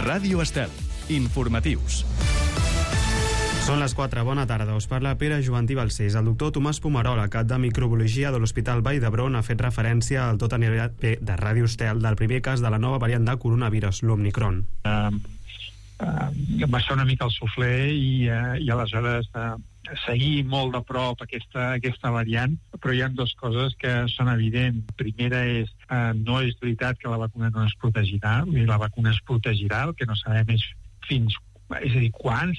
Ràdio Estel. Informatius. Són les 4, bona tarda. Us parla Pere Jovantí Balcells. El doctor Tomàs Pomarola, cap de microbiologia de l'Hospital Vall d'Hebron, ha fet referència al tot anirà bé de Ràdio Estel del primer cas de la nova variant de coronavirus, l'Omicron. Va ser una mica el suflé i aleshores seguir molt de prop aquesta variant, però hi ha dues coses que són evidents. Primera és, no és veritat que la vacuna no es protegirà, la vacuna es protegirà, el que no sabem és és a dir, quan.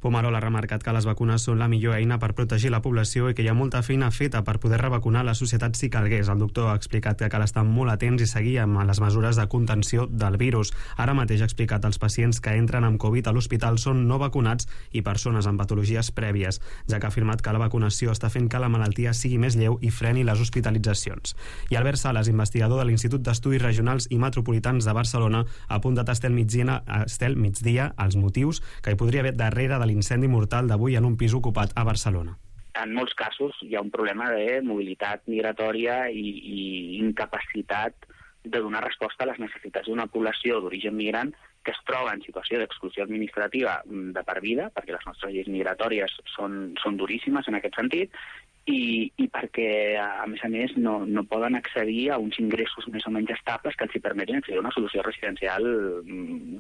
Pomarola ha remarcat que les vacunes són la millor eina per protegir la població i que hi ha molta feina feta per poder revacunar la societat si calgués. El doctor ha explicat que cal estar molt atents i seguir amb les mesures de contenció del virus. Ara mateix ha explicat que els pacients que entren amb Covid a l'hospital són no vacunats i persones amb patologies prèvies, ja que ha afirmat que la vacunació està fent que la malaltia sigui més lleu i freni les hospitalitzacions. I Albert Sales, investigador de l'Institut d'Estudis Regionals i Metropolitans de Barcelona, ha apuntat a Estel Migdia els motius que hi podria haver darrere de l'incendi mortal d'avui en un pis ocupat a Barcelona. En molts casos hi ha un problema de mobilitat migratòria i incapacitat de donar resposta a les necessitats d'una població d'origen migrant que es troba en situació d'exclusió administrativa de per vida, perquè les nostres lleis migratòries són duríssimes en aquest sentit, i perquè, a més, no poden accedir a uns ingressos més o menys estables que els permetin accedir a una solució residencial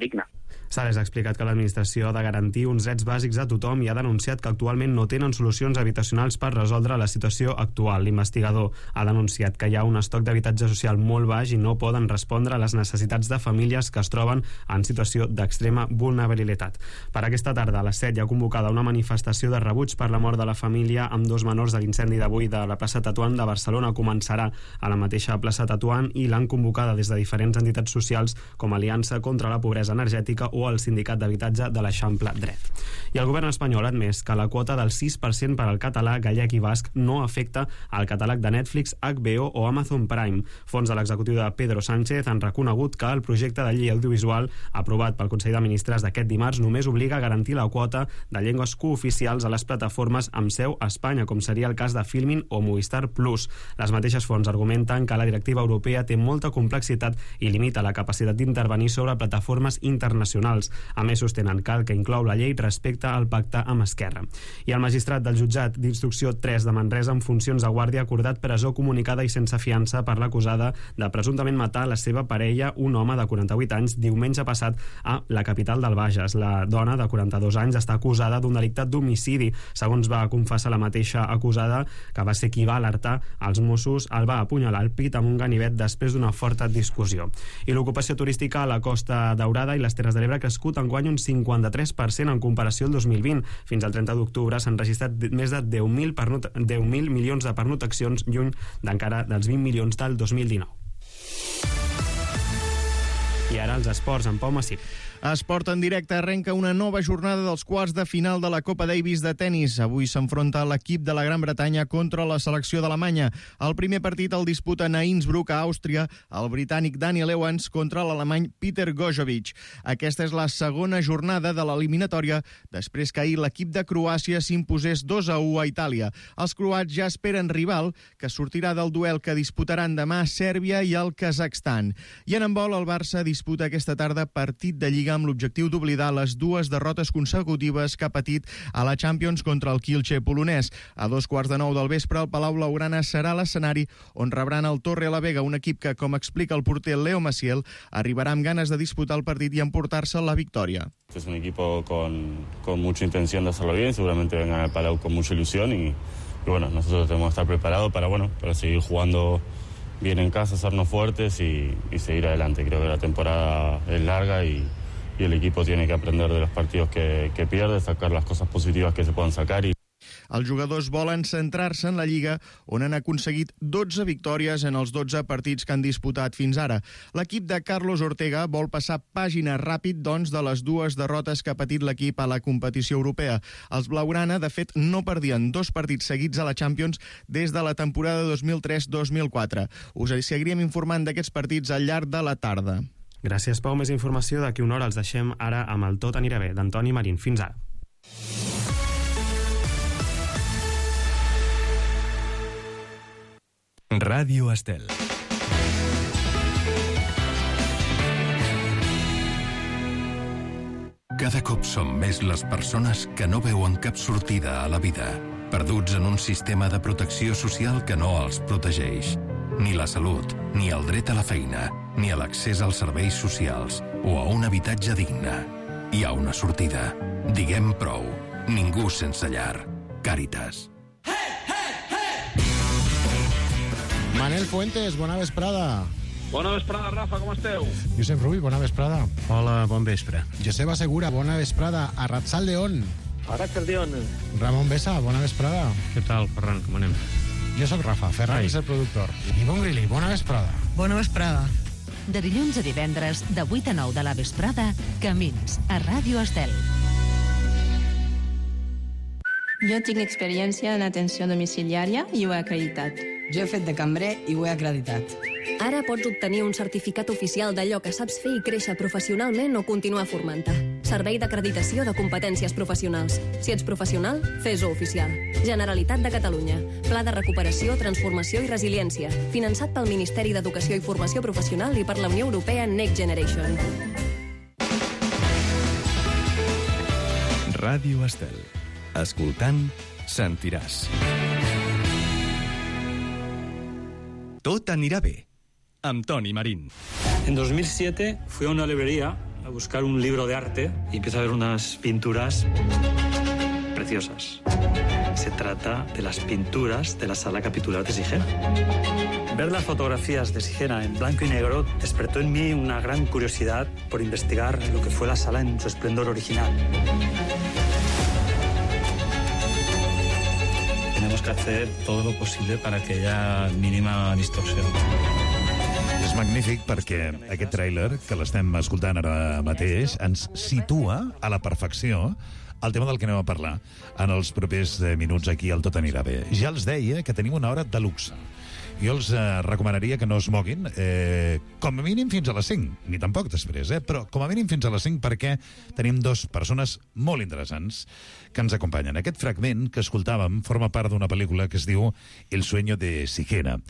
digna. Sales ha explicat que l'administració ha de garantir uns drets bàsics a tothom i ha denunciat que actualment no tenen solucions habitacionals per resoldre la situació actual. L'investigador ha denunciat que hi ha un estoc d'habitatge social molt baix i no poden respondre a les necessitats de famílies que es troben en situació d'extrema vulnerabilitat. Per aquesta tarda, a les 7, hi ha convocada una manifestació de rebuig per la mort de la família amb 2 menors de l'incendi d'avui de la plaça Tetuan de Barcelona. Començarà a la mateixa plaça Tetuan i l'han convocada des de diferents entitats socials com Aliança contra la Pobresa Energètica o el Sindicat d'Habitatge de l'Eixample Dret. I el govern espanyol ha admès que la quota del 6% per al català, gallec i basc no afecta al catàleg de Netflix, HBO o Amazon Prime. Fons de l'executiu de Pedro Sánchez han reconegut que el projecte de llei audiovisual aprovat pel Consell de Ministres d'aquest dimarts només obliga a garantir la quota de llengües cooficials a les plataformes amb seu a Espanya, com seria el cas de Filmin o Movistar Plus. Les mateixes fonts argumenten que la directiva europea té molta complexitat i limita la capacitat d'intervenir sobre plataformes internacionals. A més, sostenen que el que inclou la llei respecte al pacte amb Esquerra. I el magistrat del jutjat d'instrucció 3 de Manresa amb funcions de guàrdia ha acordat presó comunicada i sense fiança per l'acusada de presumptament matar la seva parella, un home de 48 anys, diumenge passat a la capital del Bages. La dona, de 42 anys, està acusada d'un delicte d'homicidi. Segons va confessar la mateixa acusada, que va ser qui va alertar els Mossos, el va apunyalar al pit amb un ganivet després d'una forta discussió. I l'ocupació turística a la Costa Daurada i les Terres de l'Ebre ha crescut enguany un 53% en comparació al 2020. Fins al 30 d'octubre s'han registrat més de 10.000 milions de pernoctacions, lluny d'encara dels 20 milions del 2019. I ara els esports, en Pau Massip. Esport en directe arrenca una nova jornada dels quarts de final de la Copa Davis de tennis. Avui s'enfronta l'equip de la Gran Bretanya contra la selecció d'Alemanya. El primer partit el disputen a Innsbruck, a Àustria, el britànic Daniel Evans contra l'alemany Peter Gojovic. Aquesta és la segona jornada de l'eliminatòria després que ahir l'equip de Croàcia s'imposés 2-1 a Itàlia. Els croats ja esperen rival, que sortirà del duel que disputaran demà a Sèrbia i el Kazakhstan. I en handbol, el Barça disputa aquesta tarda partit de Lliga amb l'objectiu d'oblidar les 2 derrotes consecutives que ha patit a la Champions contra el Kielce polonès. A 9:15 del vespre, el Palau Blaugrana serà l'escenari on rebran el Torre la Vega, un equip que, com explica el porter Leo Maciel, arribarà amb ganes de disputar el partit i emportar-se la victòria. Es un equipo con mucha intención de hacerlo bien, seguramente vengan al Palau con mucha ilusión y bueno, nosotros tenemos que estar preparados para seguir jugando bien en casa, hacernos fuertes y seguir adelante. Creo que la temporada es larga y el equipo tiene que aprender de los partidos que pierde, sacar las cosas positivas que se puedan sacar. Els jugadors volen centrar-se en la Lliga, on han aconseguit 12 victòries en els 12 partits que han disputat fins ara. L'equip de Carlos Ortega vol passar pàgina ràpid, doncs, de les 2 derrotes que ha patit l'equip a la competició europea. Els blaugrana, de fet, no perdien 2 partits seguits a la Champions des de la temporada 2003-2004. Us seguiríem informant d'aquests partits al llarg de la tarda. Gràcies, Pau. Més informació d'aquí una hora. Els deixem ara amb el Tot anirà bé, d'Antoni Marín. Fins ara. Ràdio Estel. Cada cop som més les persones que no veuen cap sortida a la vida, perduts en un sistema de protecció social que no els protegeix. Ni la salut, ni el dret a la feina, ni a l'accés als serveis socials o a un habitatge digne. Hi ha una sortida. Diguem prou. Ningú sense llar. Càritas. Manel Fuentes, bona vesprada. Bona vesprada, Rafa, com esteu? Josep Rull, bona vesprada. Hola, bon vespre. Joseba Segura, bona vesprada. Arratsaldeon. Arratsaldeon. Ramon Besa, bona vesprada. Què tal, Ferran, com anem? Jo sóc Rafa, Ferran és el productor. Ivonne Grilli, bona vesprada. Bona vesprada. De dilluns a divendres, de 8 a 9 de la vesprada, Camins, a Ràdio Estel. Jo tinc experiència en atenció domiciliària i ho he acreditat. Jo he fet de cambrer i ho he acreditat. Ara pots obtenir un certificat oficial d'allò que saps fer i créixer professionalment o continuar formant-te. Servei d'acreditació de competències professionals. Si ets professional, fes-ho oficial. Generalitat de Catalunya. Pla de recuperació, transformació i resiliència. Finançat pel Ministeri d'Educació i Formació Professional i per la Unió Europea Next Generation. Ràdio Estel. Escoltant, sentiràs. Tot anirà bé. Amb Toni Marín. En 2007 fui a una librería a buscar un libro de arte y empiezo a ver unas pinturas preciosas. Se trata de las pinturas de la Sala Capitular de Sigena. Ver las fotografías de Sigena en blanco y negro despertó en mí una gran curiosidad por investigar lo que fue la sala en su esplendor original. Tenemos que hacer todo lo posible para que haya mínima distorsión. És magnífic perquè aquest tràiler que l'estem escoltant ara mateix ens situa a la perfecció el tema del que anem a parlar en els propers minuts aquí al Tot anirà bé. Ja els deia que tenim una hora de luxe. Jo els recomanaria que no es moguin, com a mínim fins a les 5, ni tampoc després, però com a mínim fins a les 5 perquè tenim dues persones molt interessants que ens acompanyen. Aquest fragment que escoltàvem forma part d'una pel·lícula que es diu El sueño de Sigena.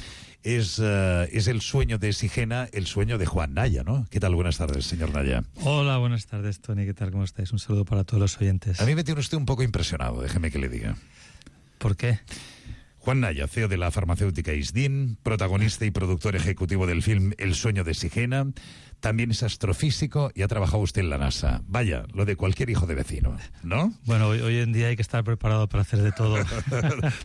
Es el sueño de Sigena, el sueño de Juan Naya, ¿no? ¿Qué tal? Buenas tardes, señor Naya. Hola, buenas tardes, Tony. ¿Qué tal? ¿Cómo estáis? Un saludo para todos los oyentes. A mí me tiene usted un poco impresionado, déjeme que le diga. ¿Por qué? Juan Naya, CEO de la farmacéutica Isdin, protagonista y productor ejecutivo del film El sueño de Sigena, también es astrofísico y ha trabajado usted en la NASA. Vaya, lo de cualquier hijo de vecino, ¿no? Bueno, hoy en día hay que estar preparado para hacer de todo.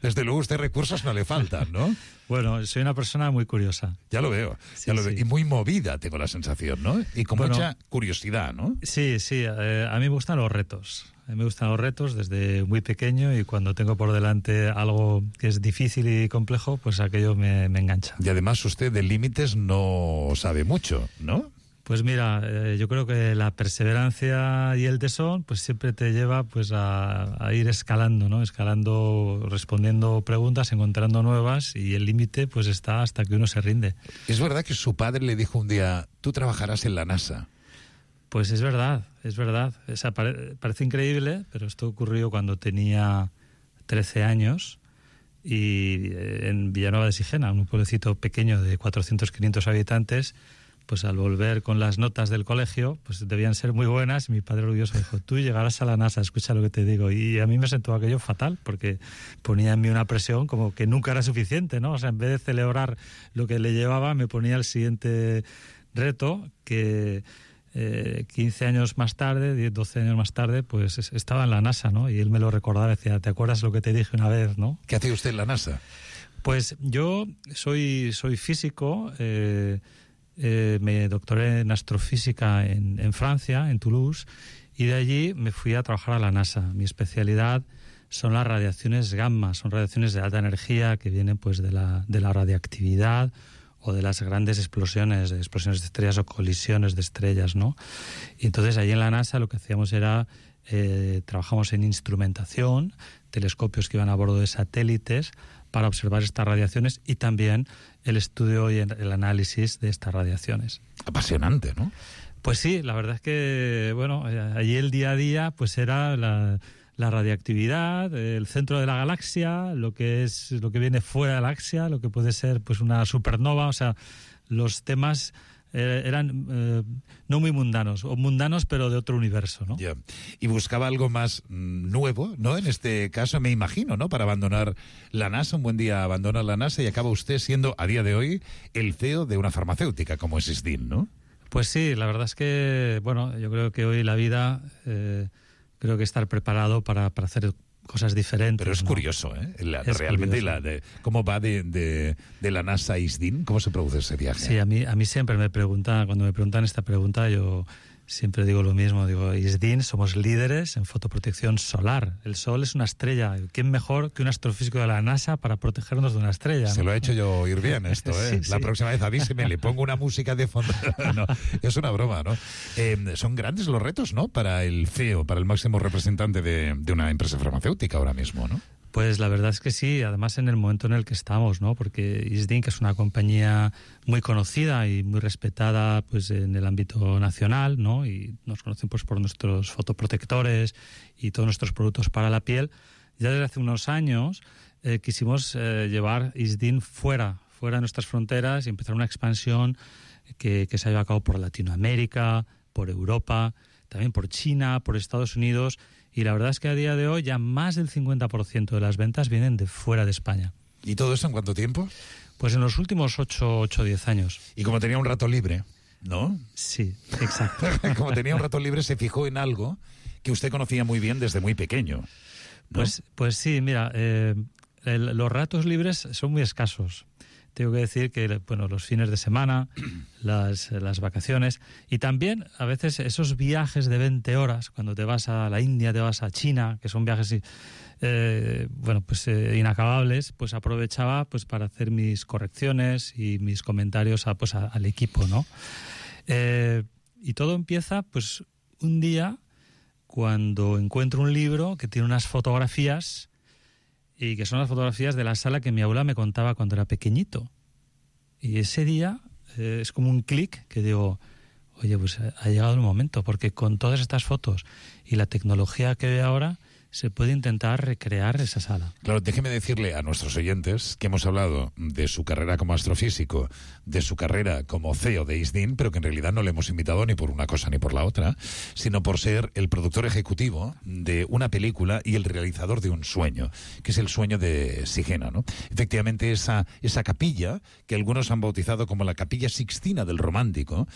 Desde luego, usted recursos no le faltan, ¿no? Bueno, soy una persona muy curiosa. Ya lo veo, ya lo veo. Y muy movida, tengo la sensación, ¿no? Y con mucha curiosidad, ¿no? Sí, a mí me gustan los retos. A mí me gustan los retos desde muy pequeño y cuando tengo por delante algo que es difícil y complejo, pues aquello me engancha. Y además usted de límites no sabe mucho, ¿no? Pues mira, yo creo que la perseverancia y el tesón pues siempre te lleva pues a ir escalando, ¿no? Escalando, respondiendo preguntas, encontrando nuevas y el límite pues está hasta que uno se rinde. Es verdad que su padre le dijo un día, tú trabajarás en la NASA. Pues es verdad, es verdad. O sea, parece increíble, pero esto ocurrió cuando tenía 13 años y en Villanueva de Sigena, un pueblecito pequeño de 400-500 habitantes, pues al volver con las notas del colegio, pues debían ser muy buenas. Mi padre orgulloso dijo, tú llegarás a la NASA, escucha lo que te digo. Y a mí me sentó aquello fatal, porque ponía en mí una presión como que nunca era suficiente, ¿no? O sea, en vez de celebrar lo que le llevaba, me ponía el siguiente reto que... 15 años más tarde, 10, 12 años más tarde, pues estaba en la NASA, ¿no? Y él me lo recordaba, decía, ¿te acuerdas lo que te dije una vez, no? ¿Qué hacía usted en la NASA? Pues yo soy físico, me doctoré en astrofísica en Francia, en Toulouse, y de allí me fui a trabajar a la NASA. Mi especialidad son las radiaciones gamma, son radiaciones de alta energía que vienen pues de la radiactividad o de las grandes explosiones de estrellas o colisiones de estrellas, ¿no? Y entonces ahí en la NASA lo que hacíamos era, trabajamos en instrumentación, telescopios que iban a bordo de satélites para observar estas radiaciones y también el estudio y el análisis de estas radiaciones. Apasionante, ¿no? Pues sí, la verdad es que, bueno, allí el día a día pues era la radiactividad, el centro de la galaxia, lo que viene fuera de la galaxia, lo que puede ser pues una supernova, o sea, los temas eran no muy mundanos, o mundanos pero de otro universo, ¿no? Yeah. Y buscaba algo más nuevo, ¿no? En este caso, me imagino, ¿no? Para abandonar la NASA, un buen día abandona la NASA y acaba usted siendo, a día de hoy, el CEO de una farmacéutica como es ISDIN, ¿no? Pues sí, la verdad es que, bueno, yo creo que hoy la vida, creo que estar preparado para hacer cosas diferentes. Pero es curioso, ¿eh? Realmente curioso. ¿Cómo va de la NASA a ISDIN? ¿Cómo se produce ese viaje? Sí, a mí siempre me preguntan, cuando me preguntan esta pregunta, yo siempre digo lo mismo. Digo, ISDIN somos líderes en fotoprotección solar. El sol es una estrella. ¿Quién mejor que un astrofísico de la NASA para protegernos de una estrella? Se ¿no? lo he hecho yo oír bien esto, ¿eh? Sí, la próxima vez avíseme, le pongo una música de fondo. No, es una broma, ¿no? Son grandes los retos, ¿no? Para el CEO, para el máximo representante de una empresa farmacéutica ahora mismo, ¿no? Pues la verdad es que sí, además en el momento en el que estamos, ¿no? Porque ISDIN, que es una compañía muy conocida y muy respetada pues en el ámbito nacional, ¿no? Y nos conocen pues por nuestros fotoprotectores y todos nuestros productos para la piel. Ya desde hace unos años quisimos llevar ISDIN fuera de nuestras fronteras y empezar una expansión que se ha llevado a cabo por Latinoamérica, por Europa, también por China, por Estados Unidos. Y la verdad es que a día de hoy ya más del 50% de las ventas vienen de fuera de España. ¿Y todo eso en cuánto tiempo? Pues en los últimos 8 o 10 años. Y como tenía un rato libre, ¿no? Sí, exacto. Como tenía un rato libre, se fijó en algo que usted conocía muy bien desde muy pequeño, ¿no? Pues sí, mira, los ratos libres son muy escasos. Tengo que decir que, bueno, los fines de semana, las vacaciones y también a veces esos viajes de 20 horas, cuando te vas a la India, te vas a China, que son viajes inacabables, pues aprovechaba pues para hacer mis correcciones y mis comentarios al equipo, ¿no? Y todo empieza pues un día cuando encuentro un libro que tiene unas fotografías y que son las fotografías de la sala que mi abuela me contaba cuando era pequeñito. Y ese día es como un clic que digo, oye, pues ha llegado el momento, porque con todas estas fotos y la tecnología que ve ahora, se puede intentar recrear esa sala. Claro, déjeme decirle a nuestros oyentes que hemos hablado de su carrera como astrofísico, de su carrera como CEO de ISDIN, pero que en realidad no le hemos invitado ni por una cosa ni por la otra, sino por ser el productor ejecutivo de una película y el realizador de un sueño, que es el sueño de Sigena, ¿no? Efectivamente, esa capilla, que algunos han bautizado como la Capilla Sixtina del Romántico,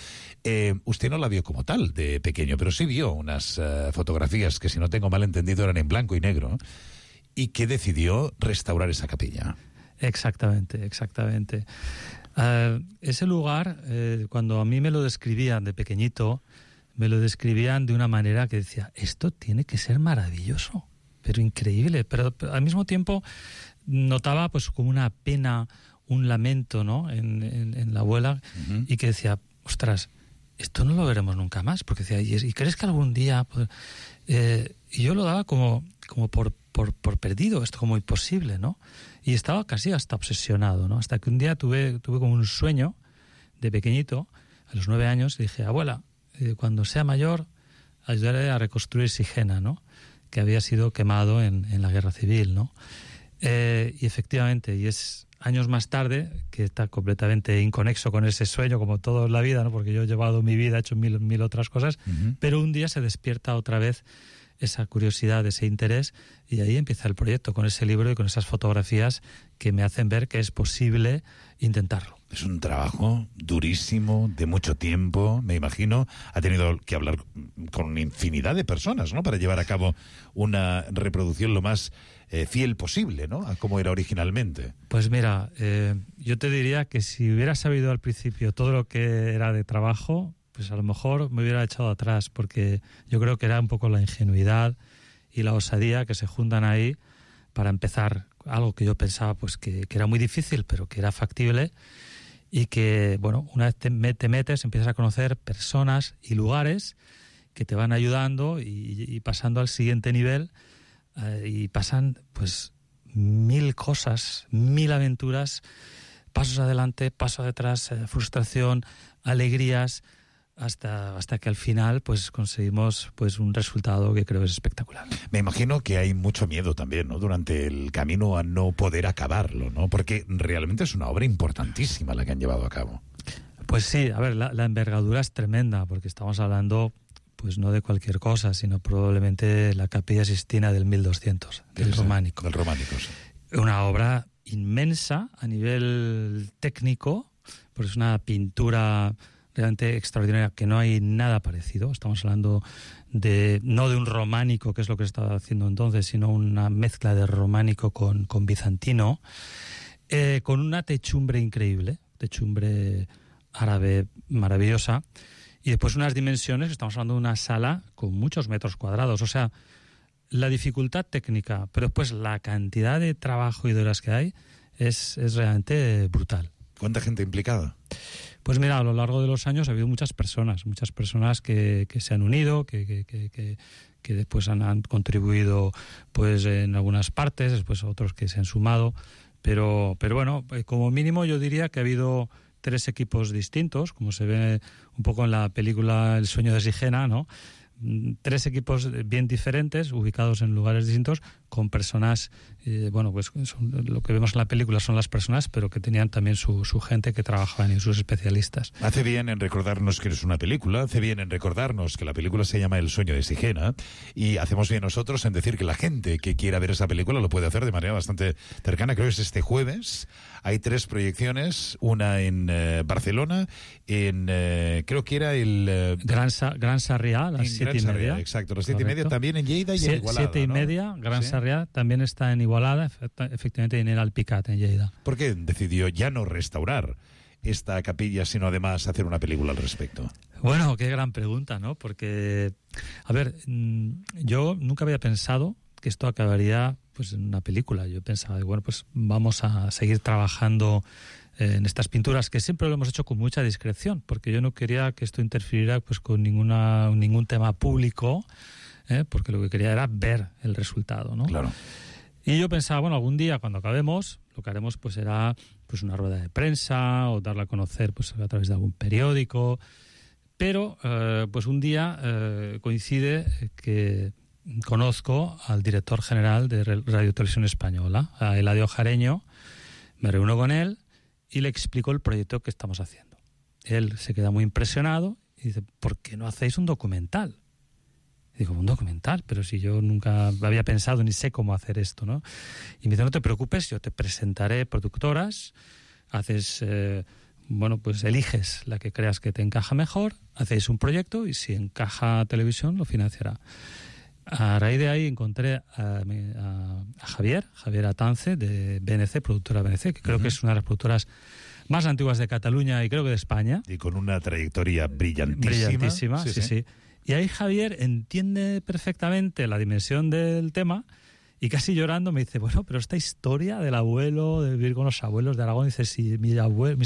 usted no la vio como tal de pequeño, pero sí vio unas fotografías que, si no tengo mal entendido, eran en blanco y negro, y que decidió restaurar esa capilla. Exactamente. Ese lugar, cuando a mí me lo describían de pequeñito, me lo describían de una manera que decía, esto tiene que ser maravilloso, pero increíble, pero al mismo tiempo notaba pues como una pena, un lamento, ¿no? en la abuela, y que decía, ostras, esto no lo veremos nunca más, porque decía, ¿y crees que algún día...? Y yo lo daba como por perdido, esto como imposible, ¿no? Y estaba casi hasta obsesionado, ¿no? Hasta que un día tuve como un sueño de pequeñito, a los 9 años, y dije, abuela, cuando sea mayor, ayudaré a reconstruir Sigena, ¿no? Que había sido quemado en la guerra civil, ¿no? Y efectivamente, y es años más tarde, que está completamente inconexo con ese sueño, como todo en la vida, ¿no? Porque yo he llevado mi vida, he hecho mil otras cosas, pero un día se despierta otra vez esa curiosidad, ese interés, y ahí empieza el proyecto, con ese libro y con esas fotografías que me hacen ver que es posible intentarlo. Es un trabajo durísimo, de mucho tiempo, me imagino. Ha tenido que hablar con infinidad de personas, ¿no? Para llevar a cabo una reproducción lo más fiel posible, ¿no? A cómo era originalmente. Pues mira, yo te diría que si hubiera sabido al principio todo lo que era de trabajo, pues a lo mejor me hubiera echado atrás, porque yo creo que era un poco la ingenuidad y la osadía que se juntan ahí para empezar algo que yo pensaba pues que era muy difícil, pero que era factible, y que, bueno, una vez te metes, empiezas a conocer personas y lugares que te van ayudando y pasando al siguiente nivel, y pasan pues 1000 cosas, 1000 aventuras, pasos adelante, pasos atrás, frustración, alegrías, hasta que al final pues conseguimos pues un resultado que creo es espectacular. Me imagino que hay mucho miedo también, ¿no? Durante el camino a no poder acabarlo, ¿no? Porque realmente es una obra importantísima la que han llevado a cabo. Pues sí, a ver, la envergadura es tremenda, porque estamos hablando pues no de cualquier cosa, sino probablemente la Capilla Sistina del 1200, del románico. Del románico, sí. Una obra inmensa a nivel técnico, porque es una pintura realmente extraordinaria, que no hay nada parecido. Estamos hablando no de un románico, que es lo que se estaba haciendo entonces, sino una mezcla de románico con bizantino, con una techumbre increíble, techumbre árabe maravillosa, y después unas dimensiones, estamos hablando de una sala con muchos metros cuadrados, o sea, la dificultad técnica, pero después la cantidad de trabajo y de horas que hay es realmente brutal. ¿Cuánta gente implicada? Pues mira, a lo largo de los años ha habido muchas personas que se han unido, que después han contribuido pues en algunas partes, después otros que se han sumado, pero bueno, como mínimo yo diría que ha habido 3 equipos distintos, como se ve un poco en la película El sueño de Sigena, ¿no? 3 equipos bien diferentes, ubicados en lugares distintos, con personas, pues lo que vemos en la película son las personas, pero que tenían también su gente que trabajaban y sus especialistas. Hace bien en recordarnos que es una película, hace bien en recordarnos que la película se llama El sueño de Sigena, y hacemos bien nosotros en decir que la gente que quiera ver esa película lo puede hacer de manera bastante cercana. Creo que es este jueves. Hay 3 proyecciones, una en Barcelona, creo que era el... Gran Sarrià, a las 7:30. Exacto, las 7:30 también en Lleida y en Igualada. 7:30, Gran Sarrià también está en Igualada, efectivamente en el Alpicat, en Lleida. ¿Por qué decidió ya no restaurar esta capilla, sino además hacer una película al respecto? Bueno, qué gran pregunta, ¿no? Porque, a ver, yo nunca había pensado que esto acabaría pues en una película. Yo pensaba, bueno, pues vamos a seguir trabajando en estas pinturas, que siempre lo hemos hecho con mucha discreción, porque yo no quería que esto interfiriera pues con ningún tema público, porque lo que quería era ver el resultado, ¿no? Claro. Y yo pensaba, bueno, algún día cuando acabemos, lo que haremos pues será pues una rueda de prensa o darla a conocer pues a través de algún periódico, pero pues un día coincide que conozco al director general de Radio Televisión Española, a Eladio Jareño. Me reúno con él y le explico el proyecto que estamos haciendo. Él se queda muy impresionado y dice, ¿por qué no hacéis un documental? Y digo, ¿un documental? Pero si yo nunca había pensado ni sé cómo hacer esto, ¿no? Y me dice, no te preocupes, yo te presentaré productoras, haces, pues eliges la que creas que te encaja mejor, hacéis un proyecto y si encaja televisión lo financiará. A raíz de ahí encontré a Javier Atance, de BNC, productora BNC, que creo que es una de las productoras más antiguas de Cataluña y creo que de España. Y con una trayectoria brillantísima. Brillantísima, sí. Y ahí Javier entiende perfectamente la dimensión del tema y casi llorando me dice, bueno, pero esta historia del abuelo, de vivir con los abuelos de Aragón, dice, sí, mis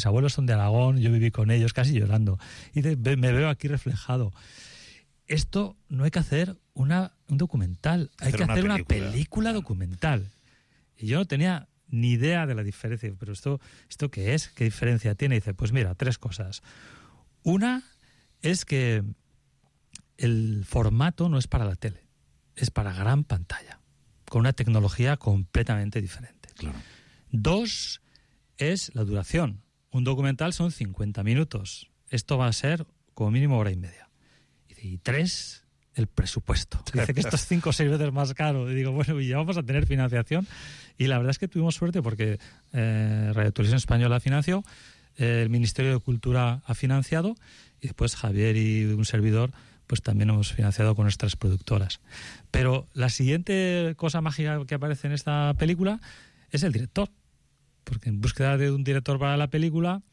abuelos son de Aragón, yo viví con ellos, casi llorando. Y me veo aquí reflejado. Esto no hay que hacer un documental, hay que hacer una película documental. Y yo no tenía ni idea de la diferencia. Pero ¿esto qué es? ¿Qué diferencia tiene? Y dice, pues mira, 3 cosas. Una es que el formato no es para la tele, es para gran pantalla, con una tecnología completamente diferente. Claro. 2 es la duración. Un documental son 50 minutos. Esto va a ser como mínimo 1 hora y media. Y 3, el presupuesto. Dice que esto es 5 o 6 veces más caro. Y digo, bueno, y ya vamos a tener financiación. Y la verdad es que tuvimos suerte porque Radio Televisión Española financió, el Ministerio de Cultura ha financiado y después Javier y un servidor pues también hemos financiado con nuestras productoras. Pero la siguiente cosa mágica que aparece en esta película es el director. Porque en búsqueda de un director para la película,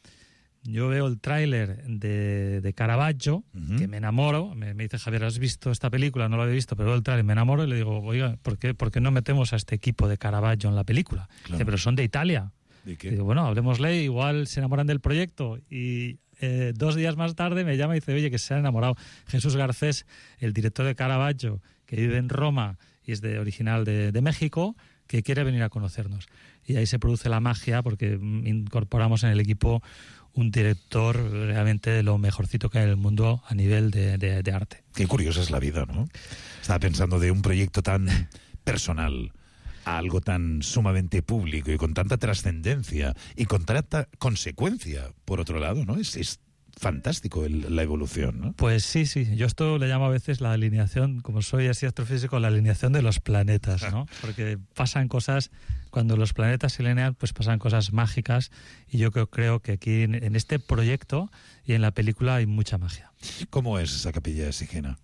yo veo el tráiler de Caravaggio, que me enamoro. Me dice, Javier, ¿has visto esta película? No lo había visto, pero veo el tráiler, me enamoro y le digo, oiga, ¿por qué no metemos a este equipo de Caravaggio en la película? Claro. Dice, pero son de Italia. ¿Y qué? Y digo, bueno, hablemosle, igual se enamoran del proyecto. Y 2 días más tarde me llama y dice, oye, que se han enamorado. Jesús Garcés, el director de Caravaggio, que vive en Roma y es original de México, que quiere venir a conocernos. Y ahí se produce la magia porque incorporamos en el equipo un director realmente de lo mejorcito que hay en el mundo a nivel de arte. Qué curiosa es la vida, ¿no? Estaba pensando de un proyecto tan personal a algo tan sumamente público y con tanta trascendencia y con tanta consecuencia, por otro lado, ¿no? Es fantástico la evolución, ¿no? Pues sí. Yo esto le llamo a veces la alineación, como soy así astrofísico, la alineación de los planetas, ¿no? Porque pasan cosas, cuando los planetas se alinean, pues pasan cosas mágicas, y yo creo que aquí en este proyecto y en la película hay mucha magia. ¿Cómo es esa Capilla de Sigena?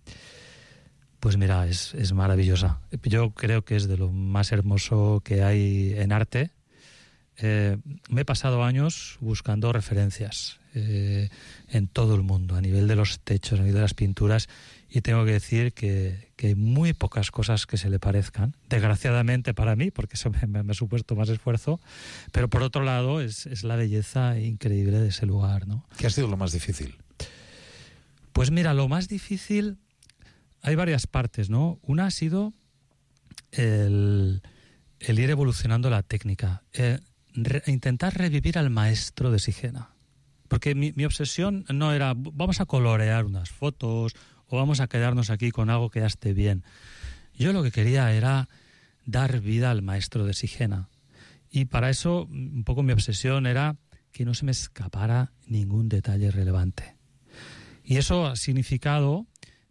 Pues mira, es maravillosa. Yo creo que es de lo más hermoso que hay en arte. Me he pasado años buscando referencias en todo el mundo, a nivel de los techos, a nivel de las pinturas, y tengo que decir que hay muy pocas cosas que se le parezcan, desgraciadamente para mí, porque eso me ha supuesto más esfuerzo, pero por otro lado es la belleza increíble de ese lugar, ¿no? ¿Qué ha sido lo más difícil? Pues mira, lo más difícil, hay varias partes, ¿no? Una ha sido el ir evolucionando la técnica, intentar revivir al maestro de Sigena. Porque mi obsesión no era vamos a colorear unas fotos o vamos a quedarnos aquí con algo que ya esté bien. Yo lo que quería era dar vida al maestro de Sigena. Y para eso un poco mi obsesión era que no se me escapara ningún detalle relevante. Y eso ha significado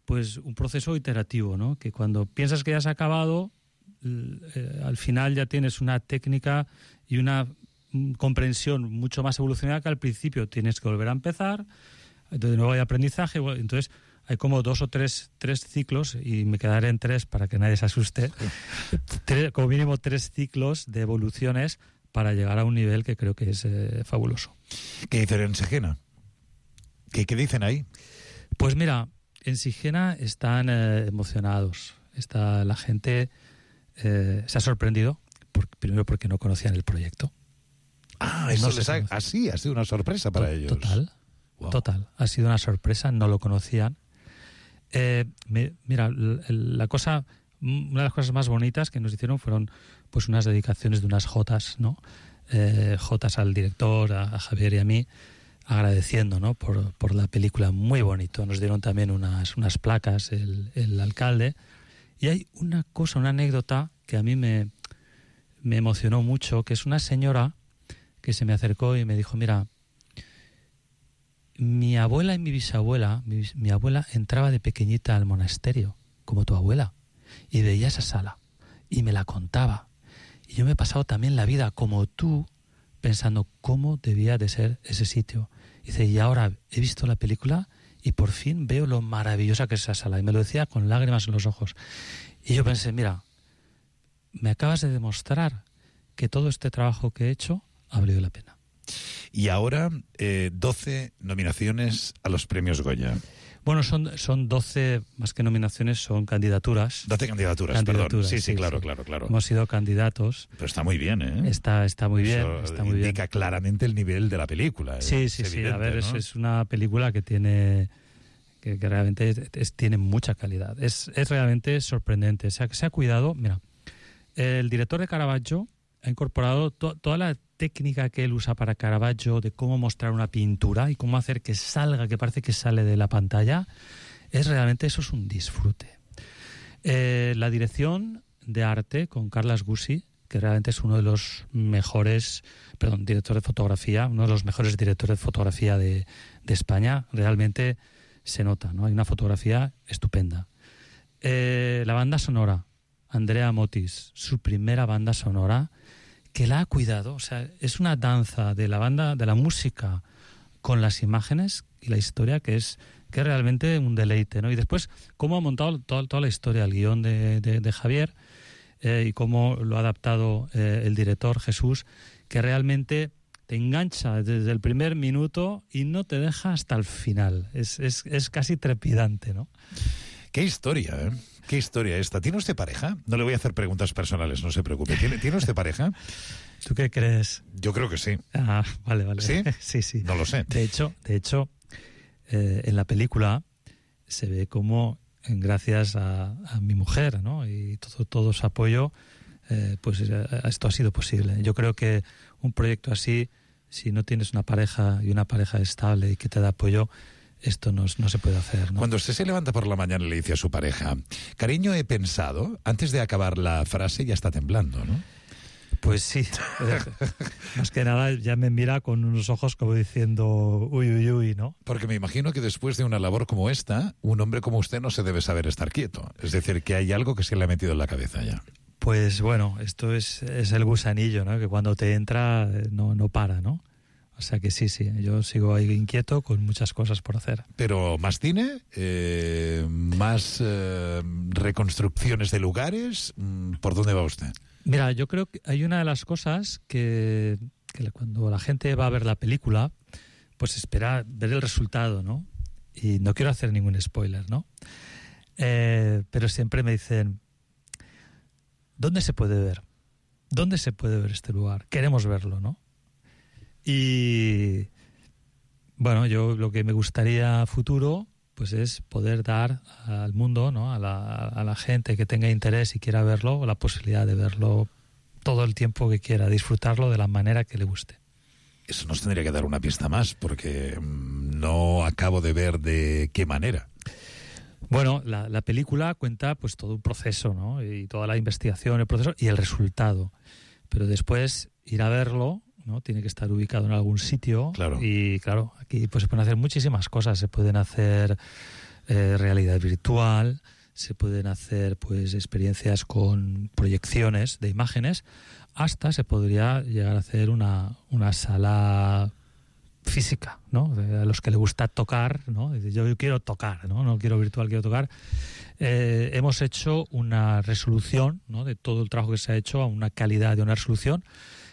pues un proceso iterativo, ¿no? Que cuando piensas que ya has acabado, al final ya tienes una técnica y una comprensión mucho más evolucionada que al principio. Tienes que volver a empezar, de nuevo hay aprendizaje, entonces hay como 2 o 3 ciclos, y me quedaré en 3 para que nadie se asuste, como mínimo 3 ciclos de evoluciones para llegar a un nivel que creo que es fabuloso. ¿Qué dicen en Sigena? ¿Qué dicen ahí? Pues mira, en Sigena están emocionados. La gente se ha sorprendido, primero porque no conocían el proyecto. Eso ha sido una sorpresa para ellos. Total. Ha sido una sorpresa, no lo conocían. Mira, una de las cosas más bonitas que nos hicieron fueron pues unas dedicaciones de unas jotas, ¿no? Jotas al director, a Javier y a mí, agradeciendo, ¿no? por la película, muy bonito. Nos dieron también unas placas el alcalde. Y hay una anécdota que a mí me emocionó mucho, que es una señora que se me acercó y me dijo, mira, mi abuela y mi bisabuela, mi abuela entraba de pequeñita al monasterio, como tu abuela, y veía esa sala, y me la contaba. Y yo me he pasado también la vida, como tú, pensando cómo debía de ser ese sitio. Y dice, y ahora he visto la película y por fin veo lo maravillosa que es esa sala. Y me lo decía con lágrimas en los ojos. Y yo pensé, mira, me acabas de demostrar que todo este trabajo que he hecho ha valido la pena. Y ahora 12 nominaciones a los premios Goya. Bueno, son 12, más que nominaciones, son candidaturas. 12 candidaturas, perdón. Sí, claro. Hemos sido candidatos. Pero está muy bien, ¿eh? Está muy bien. Eso indica claramente el nivel de la película. Sí. A ver, ¿no? Es una película que realmente tiene mucha calidad. Es realmente sorprendente. Se ha cuidado. Mira, el director de Caravaggio ha incorporado toda la técnica que él usa para Caravaggio, de cómo mostrar una pintura y cómo hacer que salga, que parece que sale de la pantalla. Eso es un disfrute. La dirección de arte con Carles Gusi, que realmente es uno de los mejores, director de fotografía, uno de los mejores directores de fotografía de España. Realmente se nota, ¿no? Hay una fotografía estupenda. La banda sonora, Andrea Motis, su primera banda sonora, que la ha cuidado. O sea, es una danza de la música con las imágenes y la historia que es realmente un deleite, ¿no? Y después, cómo ha montado toda la historia, el guión de Javier, y cómo lo ha adaptado el director Jesús, que realmente te engancha desde el primer minuto y no te deja hasta el final. Es casi trepidante, ¿no? ¡Qué historia, eh! ¿Qué historia esta? ¿Tiene usted pareja? No le voy a hacer preguntas personales, no se preocupe. ¿Tiene usted pareja? ¿Tú qué crees? Yo creo que sí. Ah, vale. ¿Sí? Sí. No lo sé. De hecho, en la película se ve cómo, gracias a mi mujer, ¿no? Y todo su apoyo, pues esto ha sido posible. Yo creo que un proyecto así, si no tienes una pareja y una pareja estable y que te da apoyo, esto no se puede hacer, ¿no? Cuando usted se levanta por la mañana y le dice a su pareja, cariño, he pensado, antes de acabar la frase ya está temblando, ¿no? Pues sí. Más que nada ya me mira con unos ojos como diciendo uy, uy, uy, ¿no? Porque me imagino que después de una labor como esta, un hombre como usted no se debe saber estar quieto. Es decir, que hay algo que se le ha metido en la cabeza ya. Pues bueno, esto es el gusanillo, ¿no? Que cuando te entra no para, ¿no? O sea que sí, yo sigo ahí inquieto con muchas cosas por hacer. Pero más cine, más reconstrucciones de lugares, ¿por dónde va usted? Mira, yo creo que hay una de las cosas que cuando la gente va a ver la película, pues espera ver el resultado, ¿no? Y no quiero hacer ningún spoiler, ¿no? Pero siempre me dicen, ¿dónde se puede ver? ¿Dónde se puede ver este lugar? Queremos verlo, ¿no? Y bueno, yo lo que me gustaría a futuro pues es poder dar al mundo, ¿no? a la gente que tenga interés y quiera verlo, la posibilidad de verlo todo el tiempo que quiera, disfrutarlo de la manera que le guste. Eso nos tendría que dar una pista más, porque no acabo de ver de qué manera. Bueno, la película cuenta pues todo un proceso, ¿no? Y toda la investigación, el proceso y el resultado. Pero después ir a verlo, ¿no? Tiene que estar ubicado en algún sitio. Claro. Y claro, aquí pues se pueden hacer muchísimas cosas. Se pueden hacer realidad virtual, se pueden hacer pues experiencias con proyecciones de imágenes, hasta se podría llegar a hacer una sala física, ¿no? A los que le gusta tocar, ¿no? Yo quiero tocar, no quiero virtual, quiero tocar. Hemos hecho una resolución, ¿no? De todo el trabajo que se ha hecho, a una calidad de una resolución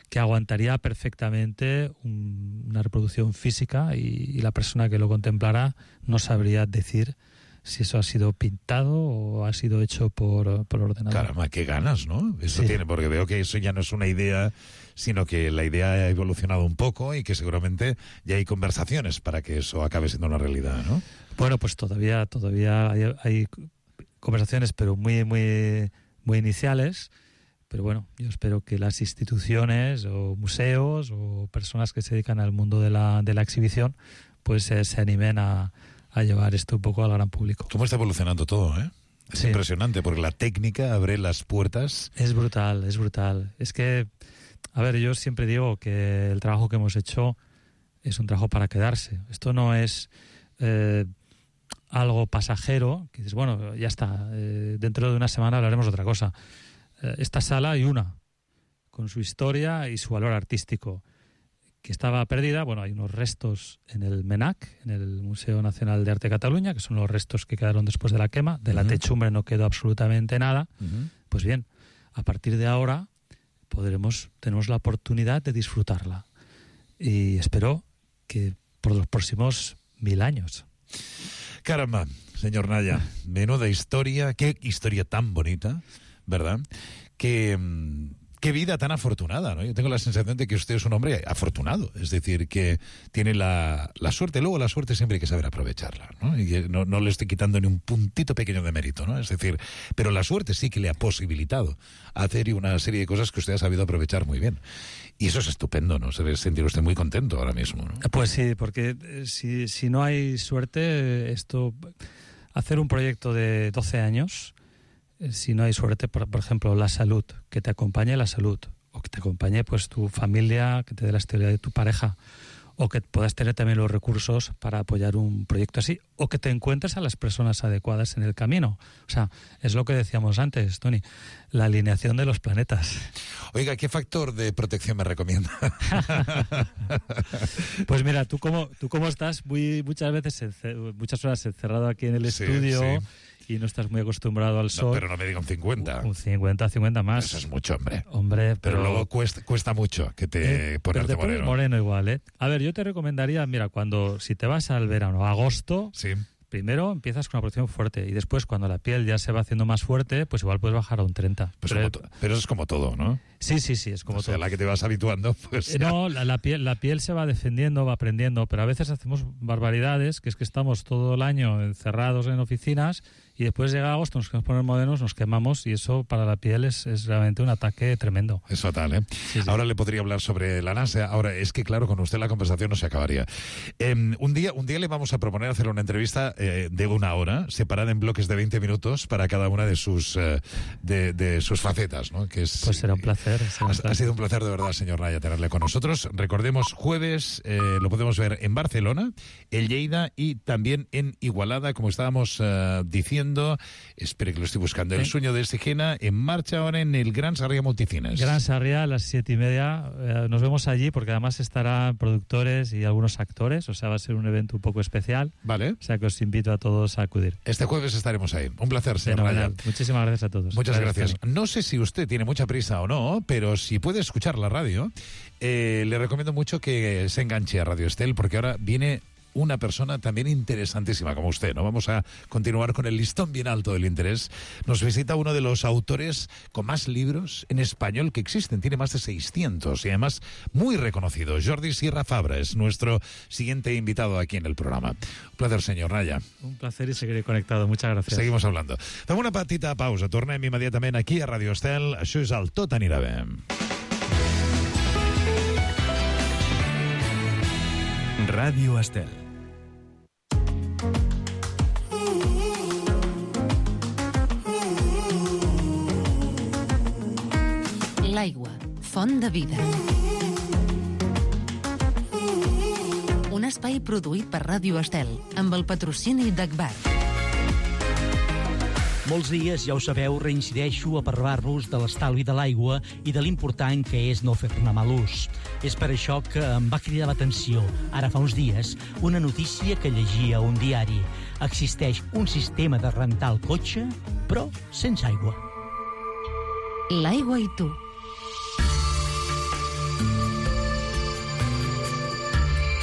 que aguantaría perfectamente una reproducción física y la persona que lo contemplara no sabría decir si eso ha sido pintado o ha sido hecho por ordenador. Caramba, qué ganas, ¿no? Eso sí. Tiene, porque veo que eso ya no es una idea, sino que la idea ha evolucionado un poco y que seguramente ya hay conversaciones para que eso acabe siendo una realidad, ¿no? Bueno, pues todavía hay conversaciones, pero muy, muy, muy iniciales. Pero bueno, yo espero que las instituciones o museos o personas que se dedican al mundo de la exhibición pues se animen a llevar esto un poco al gran público. ¿Cómo está evolucionando todo, eh? Es sí. Impresionante, porque la técnica abre las puertas. Es brutal, es brutal. Es que, a ver, yo siempre digo que el trabajo que hemos hecho es un trabajo para quedarse. Esto no es algo pasajero, que dices, bueno, ya está, dentro de una semana hablaremos de otra cosa. Esta sala hay una, con su historia y su valor artístico, que estaba perdida. Bueno, hay unos restos en el MENAC, en el Museo Nacional de Arte de Cataluña, que son los restos que quedaron después de la quema. De la techumbre no quedó absolutamente nada. Pues bien, a partir de ahora tenemos la oportunidad de disfrutarla. Y espero que por los próximos 1000 años. Caramba, señor Naya, menuda historia, qué historia tan bonita, ¿verdad? Qué vida tan afortunada, ¿no? Yo tengo la sensación de que usted es un hombre afortunado, es decir, que tiene la suerte. Luego la suerte siempre hay que saber aprovecharla, ¿no? Y no le estoy quitando ni un puntito pequeño de mérito, ¿no? Es decir, pero la suerte sí que le ha posibilitado hacer una serie de cosas que usted ha sabido aprovechar muy bien. Y eso es estupendo, ¿no? Se debe sentir usted muy contento ahora mismo, ¿no? Pues sí, porque si no hay suerte, hacer un proyecto de 12 años... Si no hay suerte, por ejemplo, la salud, que te acompañe la salud, o que te acompañe pues tu familia, que te dé la estabilidad de tu pareja, o que puedas tener también los recursos para apoyar un proyecto así, o que te encuentres a las personas adecuadas en el camino. O sea, es lo que decíamos antes, Tony, la alineación de los planetas. Oiga, ¿qué factor de protección me recomienda? Pues mira, tú como estás muchas horas encerrado aquí en el estudio... Sí. Y no estás muy acostumbrado al sol. No, pero no me diga un 50. Un 50 más. Eso es mucho, hombre. Pero luego cuesta mucho que te ponerte moreno. Moreno igual, ¿eh? A ver, yo te recomendaría, mira, si te vas al verano, a agosto, sí. Primero empiezas con una protección fuerte y después cuando la piel ya se va haciendo más fuerte, pues igual puedes bajar a un 30. Pero eso es como todo, ¿no? Sí, es como todo. O sea, la que te vas habituando, pues... No, la piel se va defendiendo, va aprendiendo, pero a veces hacemos barbaridades, que es que estamos todo el año encerrados en oficinas y después llega agosto, nos queremos poner modernos, nos quemamos y eso para la piel es realmente un ataque tremendo. Es fatal, ¿eh? Sí. Ahora le podría hablar sobre la NASA. Ahora, es que claro, con usted la conversación no se acabaría. Un día le vamos a proponer hacer una entrevista de 1 hora, separada en bloques de 20 minutos para cada una de sus facetas, ¿no? Que es, pues será un placer. placer. Ha sido un placer de verdad, señor Naya, tenerle con nosotros. Recordemos, jueves lo podemos ver en Barcelona, en Lleida y también en Igualada, como estábamos diciendo. Espere que lo estoy buscando. El sueño de Sigena, en marcha ahora en el Gran Sarriá Multicines. Gran Sarriá a las 7:30. Nos vemos allí porque además estarán productores y algunos actores. O sea, va a ser un evento un poco especial. Vale. O sea, que os invito a todos a acudir. Este jueves estaremos ahí. Un placer, señor Naya. Muchísimas gracias a todos. Muchas gracias. No sé si usted tiene mucha prisa o no, pero si puede escuchar la radio, le recomiendo mucho que se enganche a Radio Estel, porque ahora viene una persona también interesantísima como usted, ¿no? Vamos a continuar con el listón bien alto del interés. Nos visita uno de los autores con más libros en español que existen. Tiene más de 600 y además muy reconocido. Jordi Sierra Fabra es nuestro siguiente invitado aquí en el programa. Un placer, señor Naya. Un placer y seguiré conectado. Muchas gracias. Seguimos hablando. Fem una petita pausa. Tornem immediatament aquí a Radio Estel. Això és el Tot anirà bé. Ràdio Estel. L'aigua, font de vida. Un espai produït per Ràdio Estel, amb el patrocini d'Agbar. Molts dies, ja ho sabeu, reincideixo a parlar-vos de l'estalvi de l'aigua i de l'important que és no fer-ne mal ús. És per això que em va cridar l'atenció, ara fa uns dies, una notícia que llegia a un diari. Existeix un sistema de rentar el cotxe, però sense aigua. L'aigua i tu.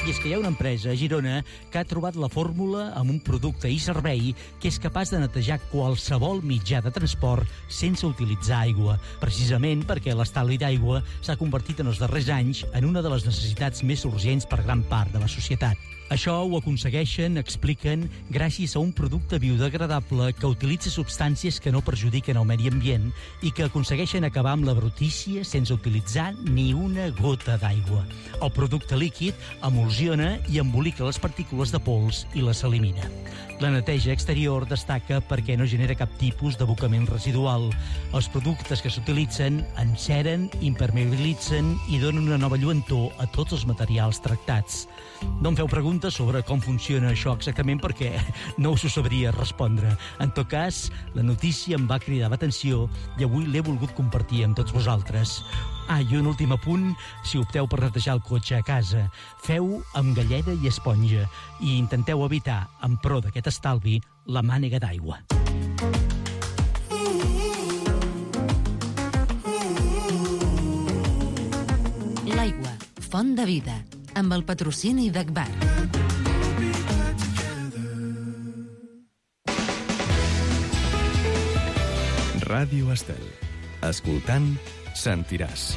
I és que hi ha una empresa a Girona que ha trobat la fórmula amb un producte i servei que és capaç de netejar qualsevol mitjà de transport sense utilitzar aigua, precisament perquè l'estalvi d'aigua s'ha convertit en els darrers anys en una de les necessitats més urgents per gran part de la societat. Això ho aconsegueixen, expliquen, gràcies a un producte biodegradable que utilitza substàncies que no perjudiquen el medi ambient i que aconsegueixen acabar amb la brutícia sense utilitzar ni una gota d'aigua. El producte líquid emulsiona i embolica les partícules de pols i les elimina. La neteja exterior destaca perquè no genera cap tipus d'abocament residual. Els productes que s'utilitzen enceren, impermeabilitzen i donen una nova lluentor a tots els materials tractats. No em feu preguntes sobre com funciona això exactament perquè no us ho sabria respondre. En tot cas, la notícia em va cridar l'atenció i avui l'he volgut compartir amb tots vosaltres. I un últim apunt, si opteu per netejar el cotxe a casa, feu amb galleda i esponja i intenteu evitar, en pro d'aquest estalvi, la mànega d'aigua. L'aigua, font de vida, amb el patrocini d'Agbar. Ràdio Estel. Escoltant, sentiràs.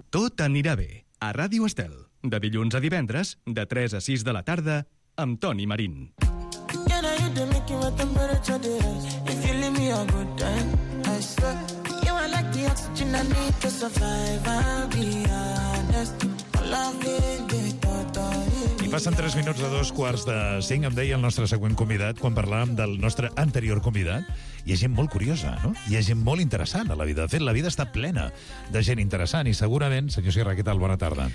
Tot anirà bé. A Ràdio Estel. De dilluns a divendres, de 3 a 6 de la tarda, amb Toni Marín. I passen 3 minuts de 2:45. Em deia el nostre següent convidat, quan parlàvem del nostre anterior convidat, hi ha gent molt curiosa, no? Hi ha gent molt interessant a la vida. De fet, la vida està plena de gent interessant i segurament, senyor Sierra, què tal? Bona tarda.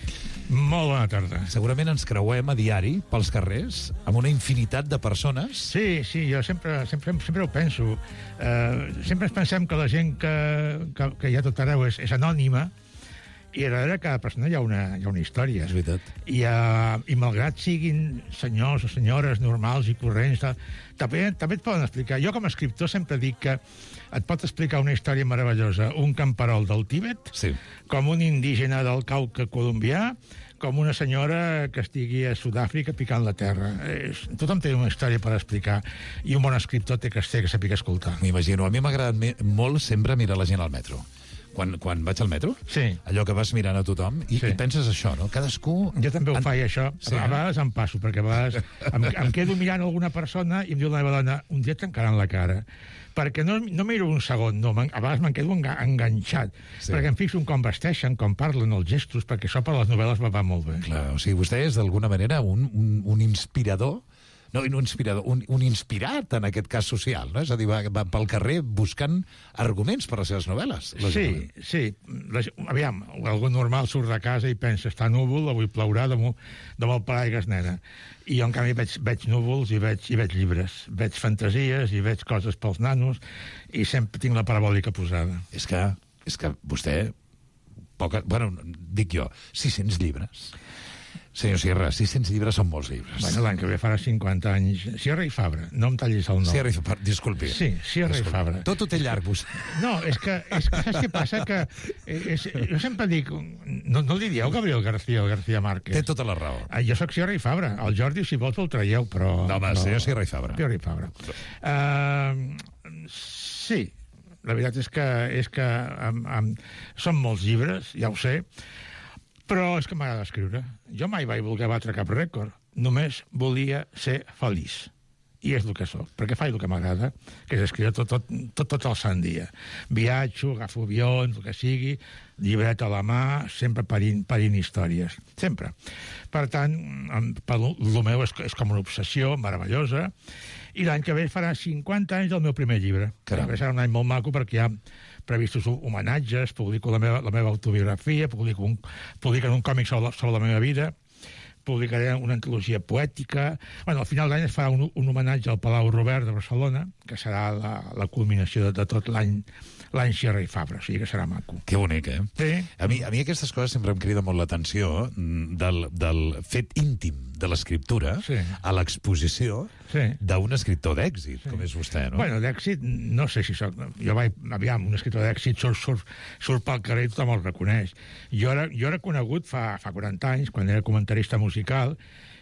Molt bona tarda. Segurament ens creuem a diari pels carrers amb una infinitat de persones. Sí, jo sempre ho penso. Sempre ens pensem que la gent que hi ha tot arreu és anònima, i darrere cada persona hi ha una història. És veritat. I malgrat siguin senyors o senyores normals i corrents, també et poden explicar. Jo, com a escriptor, sempre dic que et pot explicar una història meravellosa un camperol del Tíbet, sí, com un indígena del Cauca colombià, com una senyora que estigui a Sud-àfrica picant la terra. Tothom té una història per explicar i un bon escriptor té que saber escoltar. M'imagino. A mi m'ha agradat molt sempre mirar la gent al metro. Quan vaig al metro, sí, allò que vas mirant a tothom i penses això, no? Cadascú... Jo també ho faig, això. Sí, a vegades em passo, perquè a vegades em quedo mirant alguna persona i em diu la meva dona, un dia et tancaran la cara. Perquè no miro un segon, no, a vegades me'n quedo enganxat, perquè em fixo en com vesteixen, com parlen, els gestos, perquè això per les novel·les va molt bé. Clar, o sigui, vostè és d'alguna manera un inspirador No, un inspirador, un inspirat, en aquest cas social, no? És a dir, va pel carrer buscant arguments per les seves novel·les. Sí. Aviam, algú normal surt de casa i pensa, està núvol, avui plourà, demà el paraigües nena. I jo, en canvi, veig núvols i veig llibres. Veig fantasies i veig coses pels nanos i sempre tinc la parabòlica posada. És que vostè... dic jo, 600 llibres... Senyor Sierra, 600 llibres són molts llibres. Bueno, l'any que ve farà 50 anys. Sierra i Fabra, no em tallis el nom. Sierra i Fabra, disculpi. Sí, Sierra i Fabra. Tot ho té llarg, vostè. No, és que saps què passa? Jo sempre dic... No li dieu Gabriel García o García Márquez. Té tota la raó. Jo sóc Sierra i Fabra. El Jordi, si vols, el traieu, però... No, home, senyor Sierra i Fabra. Sierra i Fabra. Sí, la veritat és que són molts llibres, ja ho sé, però és que m'agrada escriure. Jo mai vaig voler batre cap rècord. Només volia ser feliç. I és el que soc, perquè faig el que m'agrada, que és escriure tot el sant dia. Viatjo, agafo avions, el que sigui, llibret a la mà, sempre parint històries. Sempre. Per tant, el meu és com una obsessió meravellosa, i l'any que ve farà 50 anys del meu primer llibre. Caram. Serà un any molt maco perquè hi ha previstos homenatges, publico la meva autobiografia, publico un còmic sobre la meva vida, publicaré una antologia poètica... Bueno, al final d'any es farà un homenatge al Palau Robert de Barcelona, que serà la culminació de tot l'any Sierra i Fabra, o sigui que serà maco. Que bonic, eh? Sí. A mi aquestes coses sempre em crida molt l'atenció del fet íntim de l'escriptura a l'exposició d'un escriptor d'èxit, com és vostè, no? Bueno, d'èxit, no sé si soc... Aviam, un escriptor d'èxit surt pel carrer i tothom el reconeix. Jo era conegut fa 40 anys, quan era comentarista musical,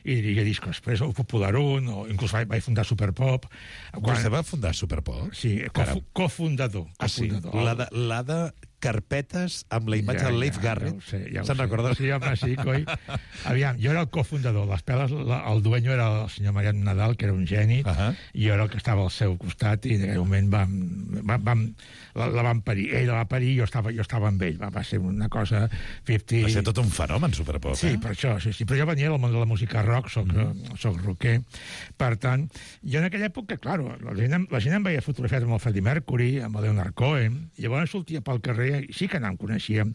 i dirigia discos. Després el Popular 1, o inclús vaig fundar Superpop. Vostè va fundar Superpop? Sí, cofundador. Ah, sí? La de carpetes amb la imatge del Leif Garrett. Se'n recorda? Sí, home, sí, coi. Aviam, jo era el cofundador. Les peles, el dueño era el senyor Mariano Nadal, que era un geni, i jo era el que estava al seu costat, i en aquell moment la vam parir. Ell la va parir i jo estava amb ell. Va ser una cosa 50... Va ser tot un fenomen, Superpop, Sí, per això, sí. Però jo venia del món de la música rock, soc rocker. Per tant, jo en aquella època, claro, la gent em veia fotografiat amb el Freddie Mercury, amb el Leonard Cohen, i llavors sortia pel carrer, i sí que no em coneixíem,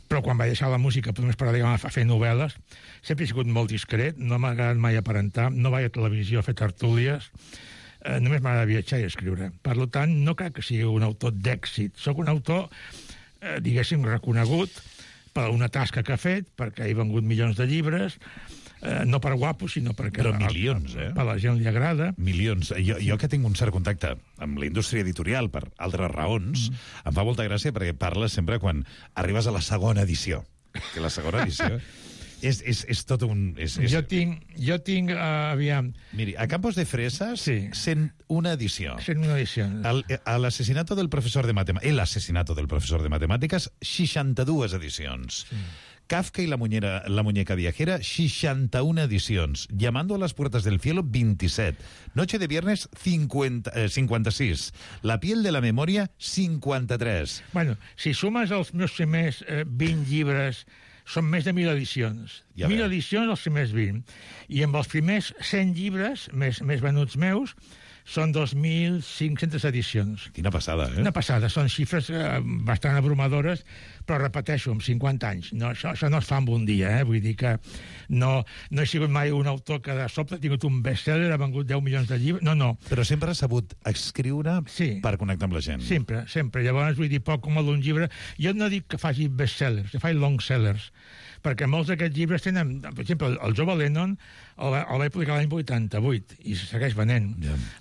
però quan vaig deixar la música només per dedicar a fer novel·les, sempre he sigut molt discret, no m'ha agradat mai aparentar, no vaig a televisió a fer tertúlies, només m'agrada viatjar i escriure. Per tant, no crec que sigui un autor d'èxit. Soc un autor, diguéssim, reconegut per una tasca que ha fet, perquè he vengut milions de llibres, no per guapo, sinó perquè... Però milions, a la gent li agrada. Milions. Jo que tinc un cert contacte amb la indústria editorial per altres raons, em fa molta gràcia perquè parles sempre quan arribes a la segona edició. Que la segona edició és tot un... Jo tinc, aviam... Miri, a Campos de Fresas, 101 edició. 101 edicions. El asesinato del profesor de matemàtiques, 62 edicions. Sí. Kafka y la muñeca viajera, 61 edicions. Llamando a las puertas del cielo, 27. Noche de viernes, 56. La piel de la memoria, 53. Bueno, si sumes els meus primers 20 llibres, són més de 1.000 edicions. 1.000 edicions els primers 20. I amb els primers 100 llibres més venuts meus, són 2.500 edicions. Quina passada, eh? Una passada. Són xifres bastant abrumadores, però repeteixo, amb 50 anys. No, això no es fa en un dia, eh? Vull dir que no he sigut mai un autor que de sobte ha tingut un best-seller, ha vengut 10 milions de llibres. No. Però sempre has sabut escriure per connectar amb la gent. Sempre. Llavors, vull dir, poc com d'un llibre. Jo no dic que faci best-sellers, que faci long-sellers, perquè molts d'aquests llibres tenen... Per exemple, el Jove Lennon el vaig publicar l'any 88 i se segueix venent.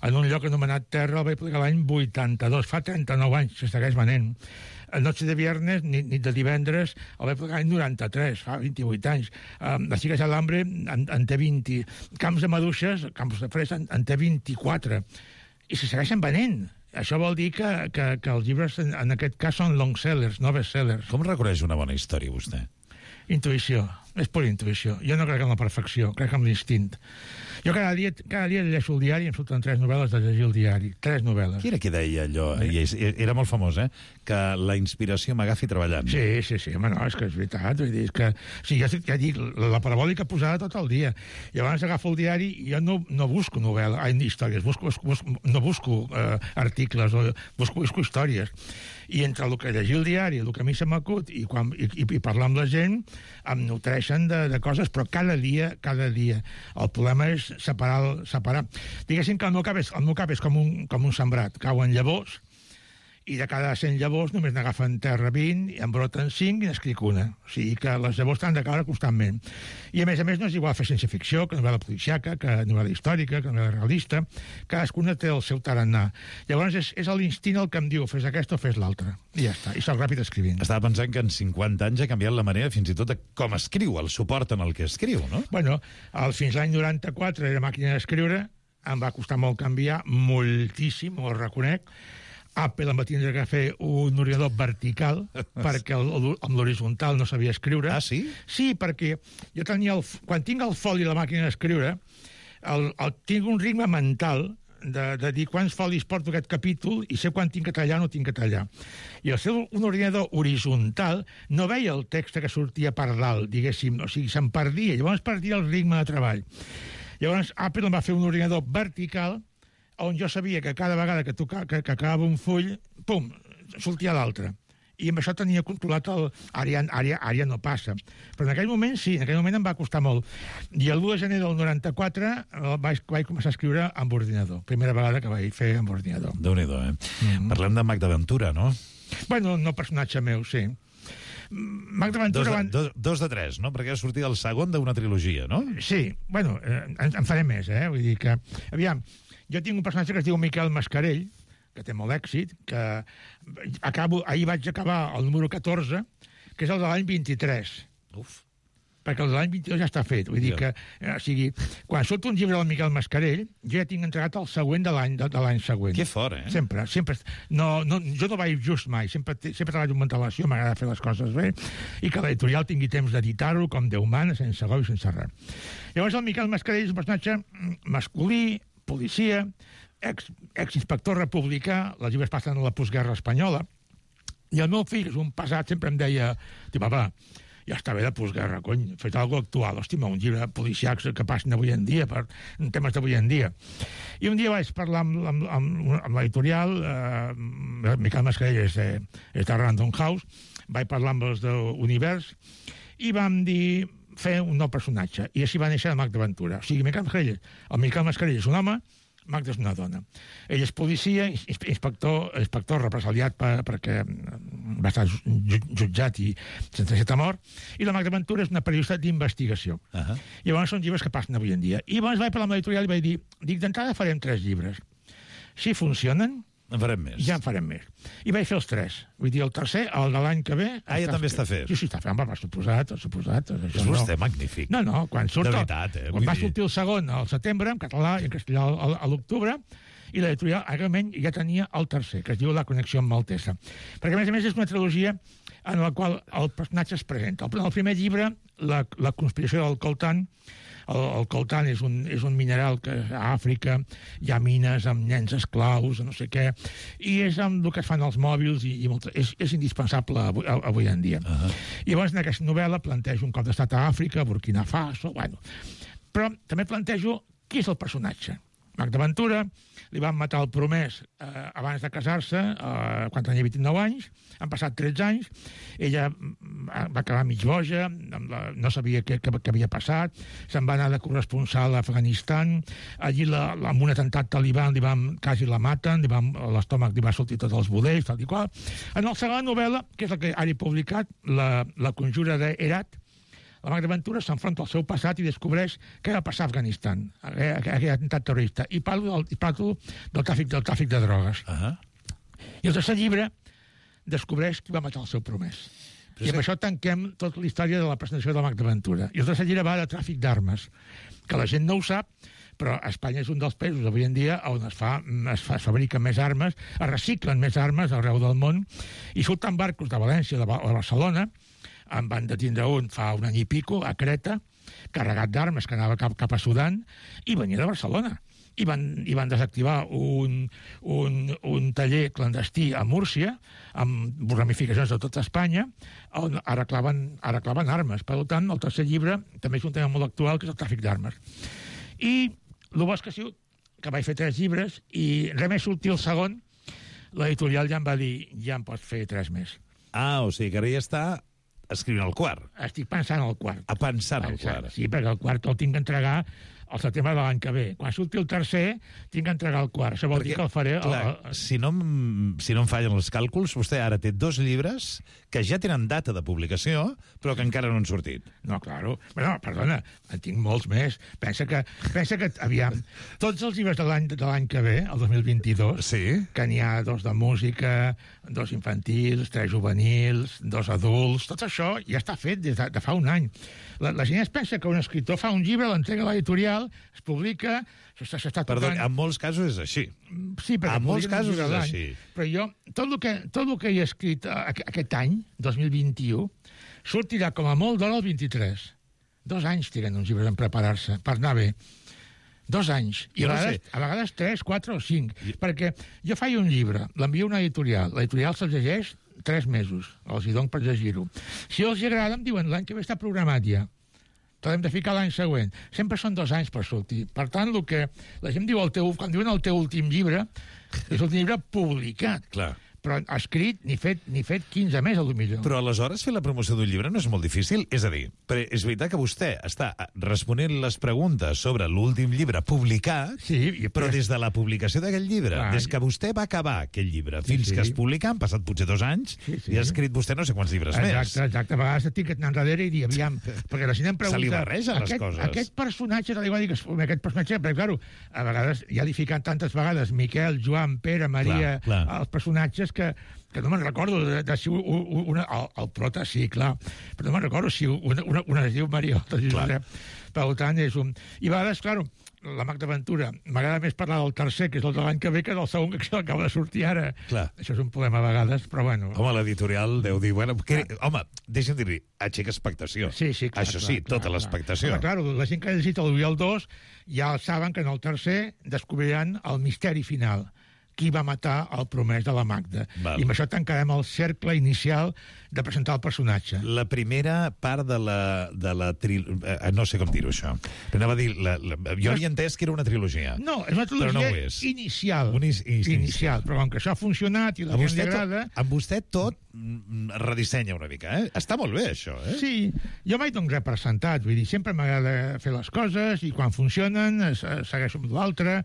En un lloc anomenat Terra el vaig publicar l'any 82. Fa 39 anys se segueix venent. Noche de viernes, nit de divendres, el vaig publicar l'any 93, fa 28 anys. Les Xiques de l'Hambre en té 20. Camps de Maduixes, Campos de Fresa, en té 24. I se segueixen venent. Això vol dir que els llibres, en aquest cas, són long sellers, no best sellers. Com reconeix una bona història, vostè? Intuïció. és per intuïció. Jo no crec en la perfecció, crec en l'instint. Jo cada dia llegeixo el diari i em surten 3 novel·les de llegir el diari. 3 novel·les. Qui era que deia allò? Era molt famós, que la inspiració m'agafi treballant. Sí, home, no, és que és veritat. Vull dir, és que, sí, ja dic, la parabòlica posada tot el dia. Llavors agafo el diari i jo no busco històries, no busco articles, busco històries. I entre el que llegir el diari, el que a mi se m'acut i parlar amb la gent, em nutreixen de coses, però cada dia. El problema és separar. Diguéssim que el meu cap és com un sembrat. Cauen llavors, i de cada 100 llavors només n'agafen terra 20, i en broten 5 i n'escric una. O sigui que les llavors han de caure constantment. I a més no és igual fer ciència-ficció, que novel·la policiaca, que novel·la històrica, que novel·la realista. Cadascuna té el seu tarannà. Llavors és l'instint el que em diu fes aquesta o fes l'altra. I ja està, i soc ràpid escrivint. Estava pensant que en 50 anys ha canviat la manera fins i tot de com escriu, el suport en el que escriu, no? Bueno, fins l'any 94 era màquina d'escriure, em va costar molt canviar, moltíssim, ho reconec. Apple em va tindre que fer un ordinador vertical perquè amb l'horitzontal no sabia escriure. Ah, sí? Sí, perquè jo tenia quan tinc el foli i la màquina d'escriure, tinc un ritme mental de dir quants folis porto aquest capítol i sé quan tinc que tallar o no tinc que tallar. I al ser un ordinador horitzontal no veia el text que sortia per dalt, diguéssim, o sigui, se'n perdia, llavors perdia el ritme de treball. Llavors Apple em va fer un ordinador vertical on jo sabia que cada vegada que acabava un full, pum, sortia l'altre. I amb això tenia controlat Ara no passa. Però en aquell moment sí, en aquell moment em va costar molt. I el 1 de gener del 94 vaig començar a escriure amb ordinador. Primera vegada que vaig fer amb ordinador. Déu-n'hi-do, Parlem de Mac d'Aventura, no? Bueno, no personatge meu, sí. Mac d'Aventura... 2 de 3, no? Perquè ha sortit el segon d'una trilogia, no? Sí, bueno, en faré més, Vull dir que... Aviam, jo tinc un personatge que es diu Miquel Mascarell, que té molt èxit, que ahir vaig acabar el número 14, que és el de l'any 23. Uf. Perquè el de l'any 22 ja està fet. Vull dir que, o sigui, quan surt un llibre del Miquel Mascarell, jo ja tinc entregat el següent de l'any següent. Que fort, Sempre. Jo no vaig just mai. Sempre treballo amb antelació, m'agrada fer les coses bé, i que l'editorial tingui temps d'editar-ho com Déu mana, sense gol i sense res. Llavors el Miquel Mascarell és un personatge masculí, policia, exinspector republicà, els llibres passen a la postguerra espanyola, i el meu fill, és un pesat, sempre em deia, papa, ja està bé de postguerra, cony, fet alguna cosa actual, hòstima, un llibre policiac que passen avui en dia, per temes d'avui en dia. I un dia vaig parlar amb l'editorial, Miquel Mascarell és de Random House, vaig parlar amb els d'Univers, i vam dir fer un nou personatge, i així va néixer el Mac d'Aventura. O sigui, el Miquel Mascarell és un home, Mac és una dona. Ell és policia, inspector represaliat perquè va estar jutjat i sentenciat a mort, i la Mac d'Aventura és una periodista d'investigació. I llavors són llibres que passen avui en dia. I llavors vaig parlar amb l'editorial i vaig dir, d'entrada farem 3 llibres. Si funcionen, en farem més. Ja en farem més. I vaig fer els 3. Vull dir, el tercer, el de l'any que ve... ja també està fet. Sí, està fet, per suposat. És vostè magnífic. No, quan surt... De veritat, quan va sortir el segon al setembre, en català i en castellà a l'octubre, i l'editorial realment ja tenia el tercer, que es diu La connexió amb Maltesa. Perquè, a més és una trilogia en la qual el personatge es presenta. En el primer llibre, La conspiració del coltan, el coltan és un mineral que a Àfrica hi ha mines amb nens esclaus, no sé què, i és amb el que es fan els mòbils i és indispensable avui en dia. I llavors en aquesta novel·la plantejo un cop d'estat a Àfrica, Burkina Faso, bueno. Però també plantejo qui és el personatge. Mac d'Aventura, li van matar el promès abans de casar-se, quan tenia 29 anys, han passat 13 anys, ella va acabar mig boja, no sabia què havia passat, se'n va anar de corresponsal a Afganistan, allí amb un atemptat talibà quasi la maten, l'estómac li va sortir tots els budells, tal i qual. En la segona novel·la, que és la que ara he publicat, La conjura d'Herat, la Mac d'Aventura s'enfronta al seu passat i descobreix què va passar a Afganistan, aquell atemptat terrorista, i parlo del tràfic de drogues. I el tercer llibre descobreix qui va matar el seu promès. I amb això tanquem tota la història de la presentació de la Mac d'Aventura. I el tercer llibre va de tràfic d'armes, que la gent no ho sap, però Espanya és un dels països avui en dia on es fabriquen més armes, es reciclen més armes arreu del món, i surten barcos de València o de Barcelona en van detindre un fa un any i pico, a Creta, carregat d'armes, que anava cap a Sudan, i venia de Barcelona. I van desactivar un taller clandestí a Múrcia, amb ramificacions de tota Espanya, on arreglaven armes. Per tant, el tercer llibre també és un tema molt actual, que és el tràfic d'armes. I el bo és que vaig fer 3 llibres, i res més sortir el segon, l'editorial ja em va dir, ja em pots fer 3 més. O sigui que ara ja està escrivint el quart. Estic pensant en el quart. Pensant el quart. Sí, perquè el quart el tinc d'entregar al setembre de l'any que ve. Quan surti el tercer, tinc d'entregar el quart. Això vol dir que el faré... Si no em fallen els càlculs, vostè ara té 2 llibres que ja tenen data de publicació, però que encara no han sortit. No, claro. Bueno, perdona, en tinc molts més. Pensa que aviam, tots els llibres de l'any que ve, el 2022, que n'hi ha 2 de música, 2 infantils, 3 juvenils, 2 adults, tot això ja està fet des de fa un any. La gent es pensa que un escriptor fa un llibre, l'entrega a l'editorial, es publica, s'està tocant... Perdó, en molts casos és així. Sí, perquè en molts casos és així. Però jo, tot el que he escrit aquest any, 2021, sortirà com a molt d'hora el 23. 2 anys triguen uns llibres en preparar-se, per anar bé. 2 anys. I a vegades 3, 4 o 5. Perquè jo faig un llibre, l'envio a una editorial, l'editorial se'l llegeix 3 mesos, els hi dono per llegir-ho. Si els agrada, em diuen, l'any que ve està programat ja. T'hem de ficar l'any següent. Sempre són 2 anys per sortir. Per tant, el que la gent diu, quan diuen el teu últim llibre, és un llibre publicat. Clar. Però escrit ni fet 15 més, a lo millor. Però aleshores fer la promoció d'un llibre no és molt difícil? És a dir, és veritat que vostè està responent les preguntes sobre l'últim llibre publicat, però des de la publicació d'aquest llibre, des que vostè va acabar aquell llibre fins que es publica, han passat potser 2 anys, i ha escrit vostè no sé quants llibres més. Exacte. A vegades estic anant darrere i dir, aviam, perquè la gent em pregunta... Se li barregen les coses. Aquest personatge, aquest personatge, perquè, clar, a vegades ja li fiquen tantes vegades Miquel, Joan, Pere, Maria, els personatges que no me'n recordo de si el prota, sí, clar, però no me'n recordo si una es diu Maria, l'altra es diu Josep. Per tant, és un... I a vegades, clar, la Magda Ventura, m'agrada més parlar del tercer, que és el de l'any que ve, que del segon, que acaba de sortir ara. Clar. Això és un problema a vegades, però bueno... Home, l'editorial deu dir... Home, deixa'm dir-li, aixeca expectació. Sí, clar. Això sí, tota l'expectació. Home, clar, la gent que ha llegit el 1 i el 2 ja saben que en el tercer descobriran el misteri final. Qui va matar el promès de la Magda. I amb això tancarem el cercle inicial de presentar el personatge. La primera part de la trilogia... No sé com dir-ho, això. Però anava a dir... Jo havia entès que era una trilogia. No, és una trilogia inicial. Inicial. Però com que això ha funcionat i la gent li agrada... Amb vostè tot redissenya una mica, eh? Està molt bé, això, eh? Sí. Jo mai dono res per sentat. Vull dir, sempre m'agrada fer les coses i quan funcionen segueixo amb l'altre,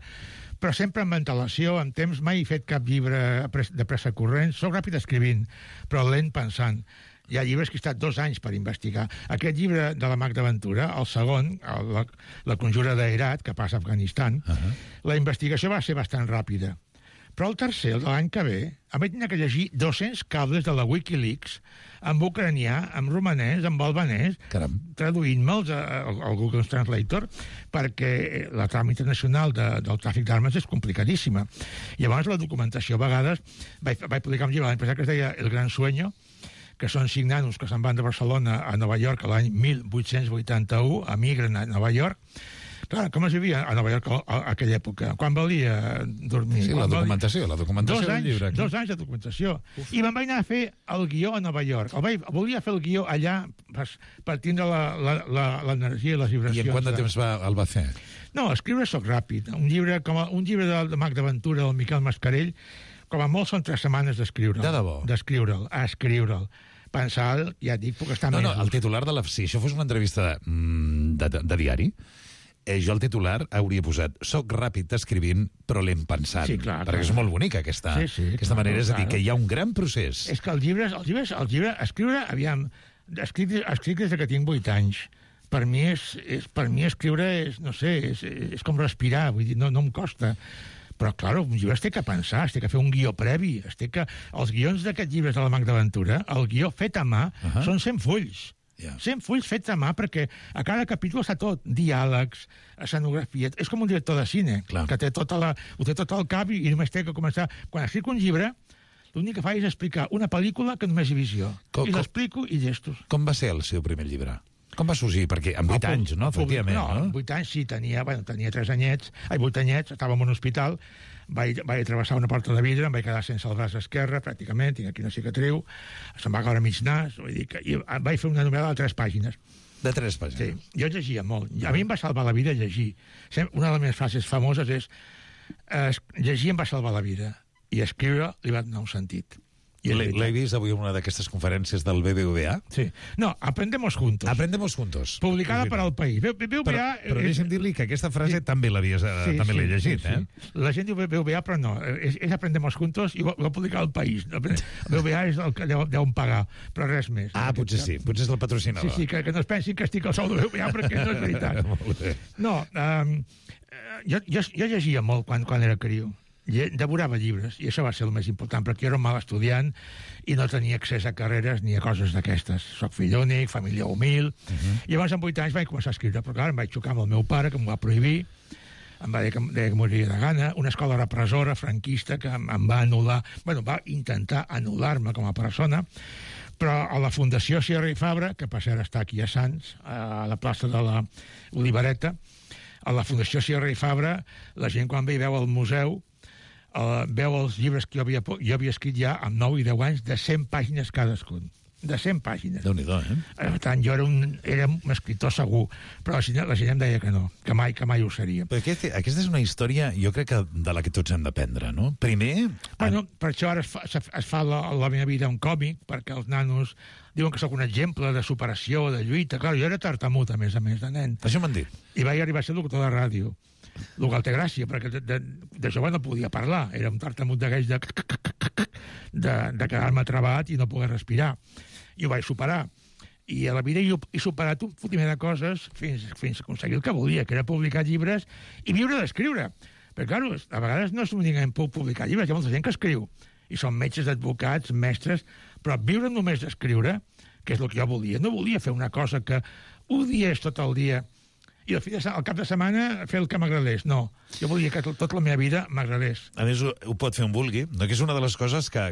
però sempre amb antelació, amb temps. Mai he fet cap llibre de pressa corrent. Soc ràpid escrivint, però lent pensant. Hi ha llibres que he estat 2 anys per investigar. Aquest llibre de la Magda Ventura, el segon, la conjura d'Herat, que passa a Afganistan, la investigació va ser bastant ràpida. Però el tercer, el de l'any que ve, em vaig tenir que llegir 200 cables de la Wikileaks en ucranià, en romanès, en albanès, traduint-me'ls al Google Translator, perquè la trama internacional del tràfic d'armes és complicadíssima. I llavors la documentació, a vegades, vaig publicar un llibre l'any passat que es deia El gran sueño, que són 5 nanos que se'n van de Barcelona a Nova York l'any 1881, emigren a Nova York. Clar, com es vivia a Nova York a aquella època? Quan valia dormir? Sí, la documentació del llibre. 2 anys de documentació. I me'n vaig anar a fer el guió a Nova York. Volia fer el guió allà per tindre l'energia i les vibracions. I en quant de temps el va fer? No, escriure soc ràpid. Un llibre de Magda Ventura, del Miquel Mascarell, com a molt són 3 setmanes d'escriure'l. De debò? Escriure'l. Pensar, ja et dic, puc estar mesos. No, el titular de si això fos una entrevista de diari, jo el titular hauria posat soc ràpid escrivint, però lent pensant. Sí, clar. Perquè és molt bonica aquesta manera. És a dir, que hi ha un gran procés. És que el llibre escriure, aviam, escric des que tinc 8 anys. Per mi escriure no sé, és com respirar, vull dir, no em costa. Però, clar, un llibre es té que pensar, es té que fer un guió previ, els guions d'aquests llibres de la Magda Ventura, el guió fet a mà, són 100 fulls. 100 fulls fets a mà, perquè a cada capítol està tot, diàlegs, escenografia. És com un director de cine, que ho té tot al cap i només té que començar. Quan escric un llibre, l'únic que fa és explicar una pel·lícula que només hi ha visió. I l'explico i llestos. Com va ser el seu primer llibre? Com va sorgir? Perquè amb 8 anys, no? Efectivament, no? Amb 8 anys sí, tenia 3 anyets, 8 anyets, estava en un hospital, vaig travessar una porta de vidre, em vaig quedar sense el braç esquerre, pràcticament, tinc aquí una cicatriu, se'm va caure mig nas, vull dir que vaig fer una novel·la de 3 pàgines. De 3 pàgines? Sí, jo llegia molt. A mi em va salvar la vida llegir. Una de les meves frases famoses és llegir em va salvar la vida i escriure li va donar un sentit. L'he vist avui en una d'aquestes conferències del BBVA. Sí. No, Aprendemos Juntos. Aprendemos Juntos. Publicada per al País. BBVA... Però deixa'm dir-li que aquesta frase també l'he llegit, eh? La gent diu BBVA, però no. És Aprendemos Juntos i ho va publicar al País. BBVA és el que deuen pagar, però res més. Potser sí. Potser és el patrocinador. Sí, que no es pensin que estic al sou de BBVA, perquè no és veritat. No, jo llegia molt quan era criu. Devorava llibres, i això va ser el més important, perquè jo era un mal estudiant i no tenia accés a carreres ni a coses d'aquestes. Soc fill únic, família humil, i llavors amb 8 anys vaig començar a escriure, però clar, em vaig xocar amb el meu pare, que m'ho va prohibir, em va dir que moriria de gana, una escola repressora franquista que em va anul·lar, va intentar anul·lar-me com a persona, però a la Fundació Sierra i Fabra, que per cert està aquí a Sants, a la plaça de la Olivereta, a la Fundació Sierra i Fabra, la gent quan ve i veu al museu veu els llibres que jo havia escrit ja amb 9 i 10 anys de 100 pàgines cadascun. De 100 pàgines. Déu-n'hi-do, eh? Per tant, jo era un escriptor segur, però la gent em deia que no, que mai ho seria. Però aquesta és una història, jo crec que de la que tots hem d'aprendre, no? Primer... Per això ara es fa la meva vida un còmic, perquè els nanos diuen que sóc un exemple de superació, de lluita. Clar, jo era tartamut, a més, de nen. Això m'han dit. I vaig arribar a ser locutor de ràdio. El que té gràcia, perquè de jove no podia parlar. Era un tartamut d'aquells de quedar-me trabat i no poder respirar. I ho vaig superar. I a la vida he superat un fotimer de coses fins a aconseguir el que volia, que era publicar llibres i viure d'escriure. Perquè, clar, a vegades no és únicament publicar llibres, hi ha molta gent que escriu. I són metges, advocats, mestres, però viure només d'escriure, que és el que jo volia. No volia fer una cosa que odiés tot el dia i al cap de setmana fer el que m'agradés. No, jo volia que tota la meva vida m'agradés. A més, ho pot fer on vulgui, no? Que és una de les coses que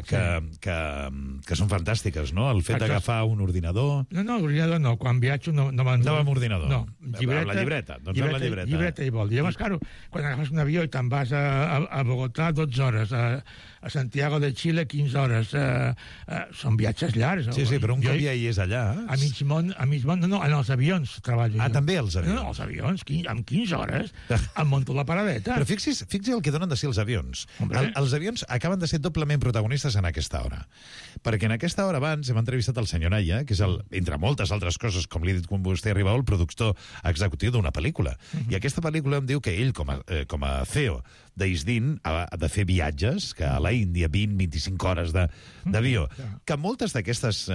són fantàstiques, no? El fet d'agafar un ordinador... No, ordinador no. Quan viatjo no me'n... No amb ordinador. No, la llibreta. Doncs amb la llibreta. Llibreta i vol. Llavors, claro, quan agafes un avió i te'n vas a Bogotà 12 hores, a Santiago de Chile 15 hores, són viatges llargs. Sí, però un cop ja hi és allà... A mig món, no, en els avions treballo jo. També als avions? No, els avions, amb 15 hores em monto la paradeta. Però fixi el que donen de ser els avions. Els avions acaben de ser doblement protagonistes en aquesta hora. Perquè en aquesta hora abans hem entrevistat el senyor Naya, que és, entre moltes altres coses, com li he dit quan vostè arribava, el productor executiu d'una pel·lícula. I aquesta pel·lícula em diu que ell, com a CEO d'Isdin, ha de fer viatges, que a la Índia 20-25 hores d'avió. Que moltes d'aquestes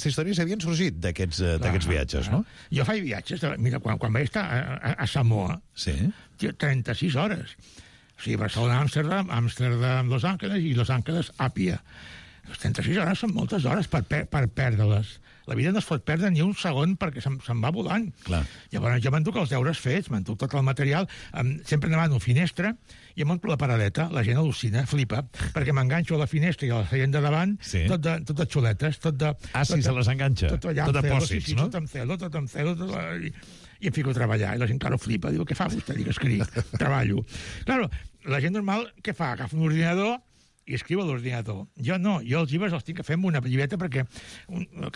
històries havien sorgit d'aquests viatges, no? Jo faig viatges. Mira, quan vaig estar a Samoa, 36 hores. O sigui, Barcelona, Amsterdam, Los Angeles i Los Angeles, Àpia. Les 36 hores són moltes hores per perdre-les. La vida no es pot perdre ni un segon perquè se'n va volant. Clar. Llavors jo m'enduc els deures fets, m'enduc tot el material, sempre demano finestra i em monto la paradeta. La gent al·lucina, flipa, perquè m'enganxo a la finestra i a la seient de davant, tot de xuletes, tot de... Sí, se les enganxa. Tot de pòsits, no? Tot amb celo, i em fico a treballar. I la gent, claro, flipa, diu, què fa vostè? Dic, escric, treballo. Claro, la gent normal, què fa? Agafa un ordinador i escriu a l'ordinador. Jo no, jo els llibres els tinc que fer amb una llibreta perquè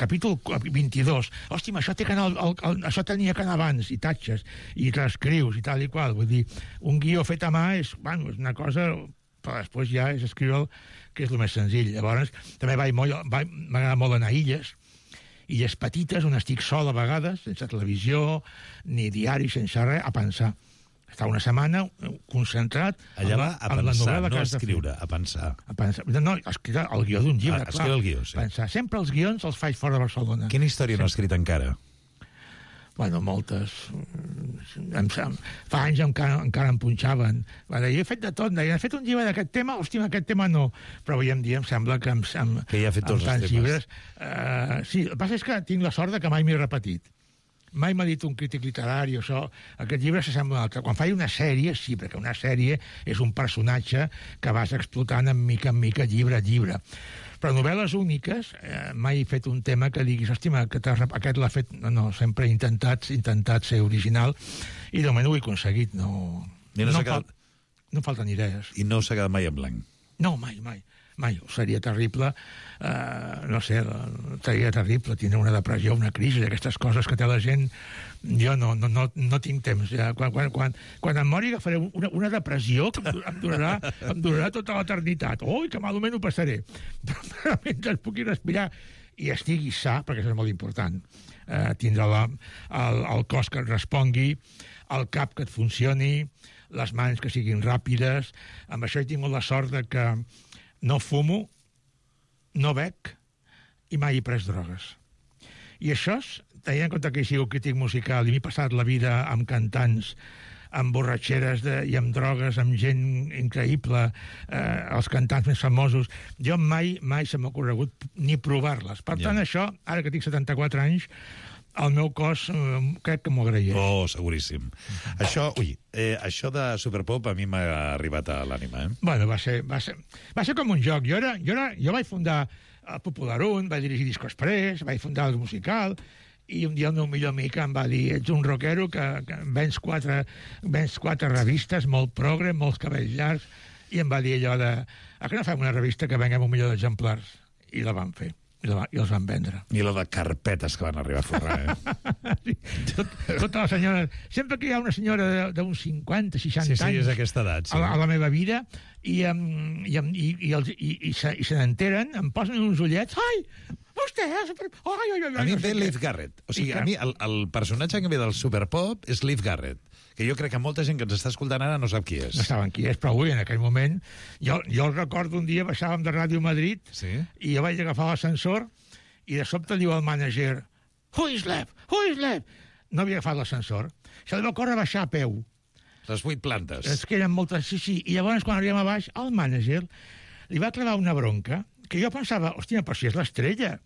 capítol 22, hòstia, això tenia que anar abans, i tatxes, i l'escrius, i tal i qual. Vull dir, un guió fet a mà és una cosa, però després ja és escriure que és el més senzill. Llavors, també m'agrada molt anar a illes petites, on estic sol a vegades, sense televisió, ni diari, sense res, a pensar. Està una setmana concentrat allà va a pensar, no a escriure, a pensar. No, a escriure el guió d'un llibre, clar. Escriure el guió, sí. Pensar. Sempre els guions els faig fora de Barcelona. Quina història no ha escrit encara? Bueno, moltes. Fa anys encara em punxaven. Jo he fet de tot. He fet un llibre d'aquest tema, hòstia, aquest tema no. Però avui en dia em sembla que ja ha fet tots els temes. Llibres... Sí, el que passa és que tinc la sort que mai m'he repetit. Mai m'ha dit un crític literari o això. Aquest llibre s'assembla a un altre. Quan faig una sèrie, sí, perquè una sèrie és un personatge que vas explotant en mica, llibre a llibre. Però novel·les úniques, mai he fet un tema que diguis, hòstia, aquest l'ha fet... No, sempre he intentat ser original i de moment ho he aconseguit. No falten idees. I no s'ha quedat mai en blanc? No, mai. Seria terrible, no sé, seria terrible tindre una depressió, una crisi, aquestes coses que té la gent. Jo no tinc temps. Ja. Quan em mori agafaré una depressió que em durarà tota l'eternitat. Ui, que malament ho passaré. Però mentre pugui respirar i estigui sa, perquè això és molt important, tindre el cos que et respongui, el cap que et funcioni, les mans que siguin ràpides. Amb això he tingut la sort de que no fumo, no bec i mai he pres drogues. I això, tenint en compte que he sigut crític musical i m'he passat la vida amb cantants, amb borratxeres i amb drogues, amb gent increïble, els cantants més famosos, jo mai se m'ha ocorregut ni provar-les. Per tant, això, ara que tinc 74 anys, el meu cos crec que m'ho agraeix. Oh, seguríssim. Això de Superpop a mi m'ha arribat a l'ànima, Bueno, va ser com un joc. Jo vaig fundar el Popular 1, vaig dirigir Disco Express, vaig fundar el musical, i un dia el meu millor amic em va dir, ets un rockero que vens quatre revistes, molt progre, molts cabells llargs, i em va dir allò de, a què no fem una revista que venguem 1 milió d'exemplars? I la vam fer. I els van vendre. I la de carpetes que van arribar a forrar, Sí, totes les senyores... Sempre que hi ha una senyora d'uns 50, 60 anys... Sí, és aquesta edat, sí. A la meva vida, i se n'enteren, em posen uns ullets... Ai, vostè... A mi em ve Leif Garrett. O sigui, a mi el personatge que ve del Superpop és Leif Garrett, que jo crec que molta gent que ens està escoltant ara no sap qui és. No saben qui és, però avui, en aquell moment... Jo el recordo un dia, baixàvem de Ràdio Madrid, i jo vaig agafar l'ascensor, i de sobte diu el mànager, Who is Lev? No havia agafat l'ascensor. Se li va córrer a baixar a peu. Les 8 plantes. És que eren moltes, sí. I llavors, quan arribem a baix, el mànager li va clavar una bronca, que jo pensava, hòstia, però si és l'estrella.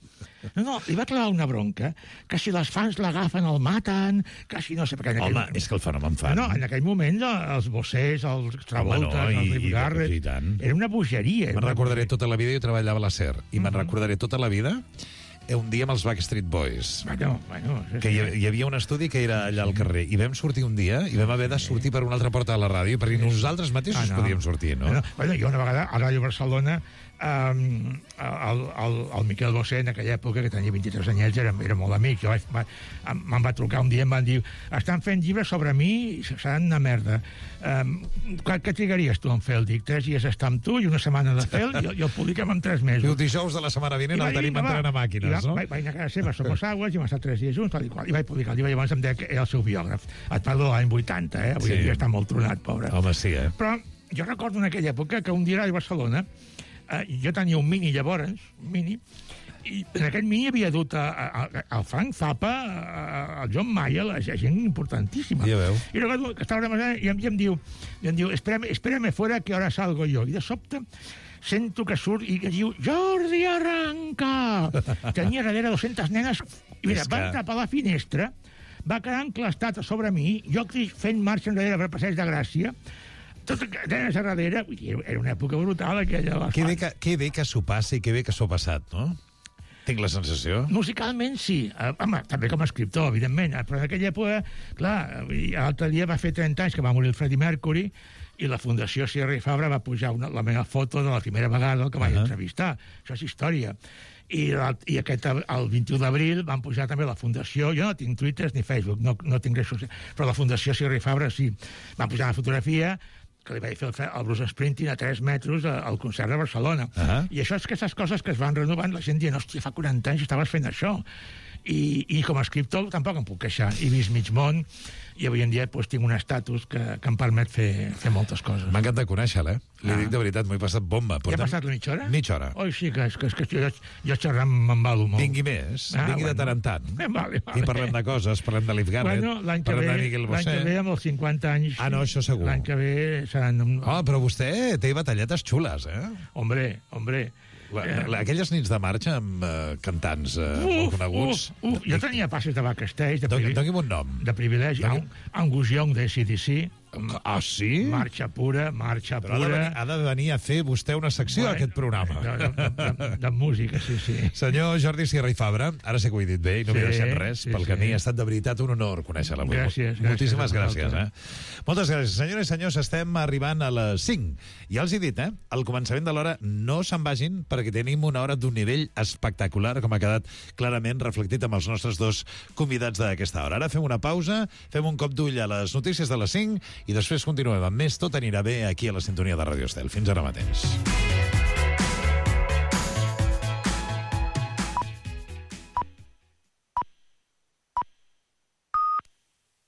No, li va clavar una bronca, que si les fans l'agafen el maten, que si no sé... Home, és que el fenomen fan. No, en aquell moment els bossers, els Travolta, els Leif Garrett... Era una bogeria. Me'n recordaré tota la vida, jo treballava a la SER, i me'n recordaré tota la vida un dia amb els Backstreet Boys. Bueno, que hi havia un estudi que era allà al carrer, i vam sortir un dia, i vam haver de sortir per una altra porta de la ràdio, perquè nosaltres mateixos podíem sortir, no? Jo una vegada a Ràdio Barcelona el Miquel Bosé, en aquella època, que tenia 23 anyets, era molt amic. Me'n va trucar un dia i em van dir, estan fent llibres sobre mi i seran una merda. Què trigaries tu en fer? Dic, 3 dies estar amb tu i una setmana de fer i el publiquem en 3 mesos. El dijous de la setmana vinent el tenim entrant a màquines, no? Vaig anar a casa seva, Somos Aguas, i vam estar 3 dies junts, i vaig publicar el llibre, i llavors em deia que era el seu biògraf. Et parlo de l'any 80, avui en dia està molt tronat, pobre. Home, sí, Però jo recordo en aquella època que un dia a Barcelona jo tenia un Mini llavors, i en aquest Mini havia dut el Frank Zappa, el John Mayer, la gent importantíssima. Ja veu. I recordo que estava i em diu, espérame fuera que ahora salgo yo. I de sobte sento que surt i que diu, Jordi, arranca! Tenia darrere 200 nenes, i mira, va entrar per la finestra, va quedar enclastat a sobre mi, jo fent marxa enrere per Passeig de Gràcia, tot nenes a darrere, era una època brutal aquella. Que bé que s'ho passi i que bé que s'ho ha passat, no? Tinc la sensació. Musicalment, sí. Home, també com a escriptor, evidentment. Però en aquella època, clar, l'altre dia va fer 30 anys que va morir el Freddie Mercury i la Fundació Sierra i Fabra va pujar la meva foto de la primera vegada que vaig entrevistar. Això és història. I el 21 d'abril van pujar també la Fundació, jo no tinc Twitter ni Facebook, no tinc res social, però la Fundació Sierra i Fabra sí. Van pujar una fotografia que li vaig fer el Bruce Springsteen a 3 metres al concert de Barcelona. I això és que aquestes coses que es van renovant, la gent dient, hòstia, fa 40 anys estaves fent això. I com a escriptor tampoc em puc queixar. He vist mig món i avui en dia tinc un estatus que em permet fer moltes coses. M'ha encantat conèixer-la, Li dic de veritat, m'ho he passat bomba. Ja ha passat la mitja hora? Mitja hora. Oi, sí, que jo xerrant m'embalo molt. Vingui més, vingui de tant en tant. Vale. I parlem de coses, parlem de Leif Garrett, parlem de Miguel Bosé. L'any que ve, amb els 50 anys... Ah, no, això segur. L'any que ve seran... Però vostè té batalletes xules, Hombre, Aquelles nits de marxa amb cantants molt coneguts... Jo tenia passes de backstage... Doni'm un nom. De privilegi. Angus Young de CDC. Ah, sí? Marxa pura. Però ha de venir a fer vostè una secció a aquest programa. De música, sí. Senyor Jordi Sierra i Fabra, ara sé que ho he dit bé i no m'he deixat res pel camí. Ha estat de veritat un honor conèixer-la. Gràcies. Moltíssimes gràcies. Moltes gràcies. Senyores i senyors, estem arribant a les 5. Ja els he dit, al començament de l'hora no se'n vagin perquè tenim una hora d'un nivell espectacular, com ha quedat clarament reflectit amb els nostres dos convidats d'aquesta hora. Ara fem una pausa, fem un cop d'ull a les notícies de les 5 i després continuem amb més Tot anirà bé aquí a la sintonia de Ràdio Estel. Fins ara mateix.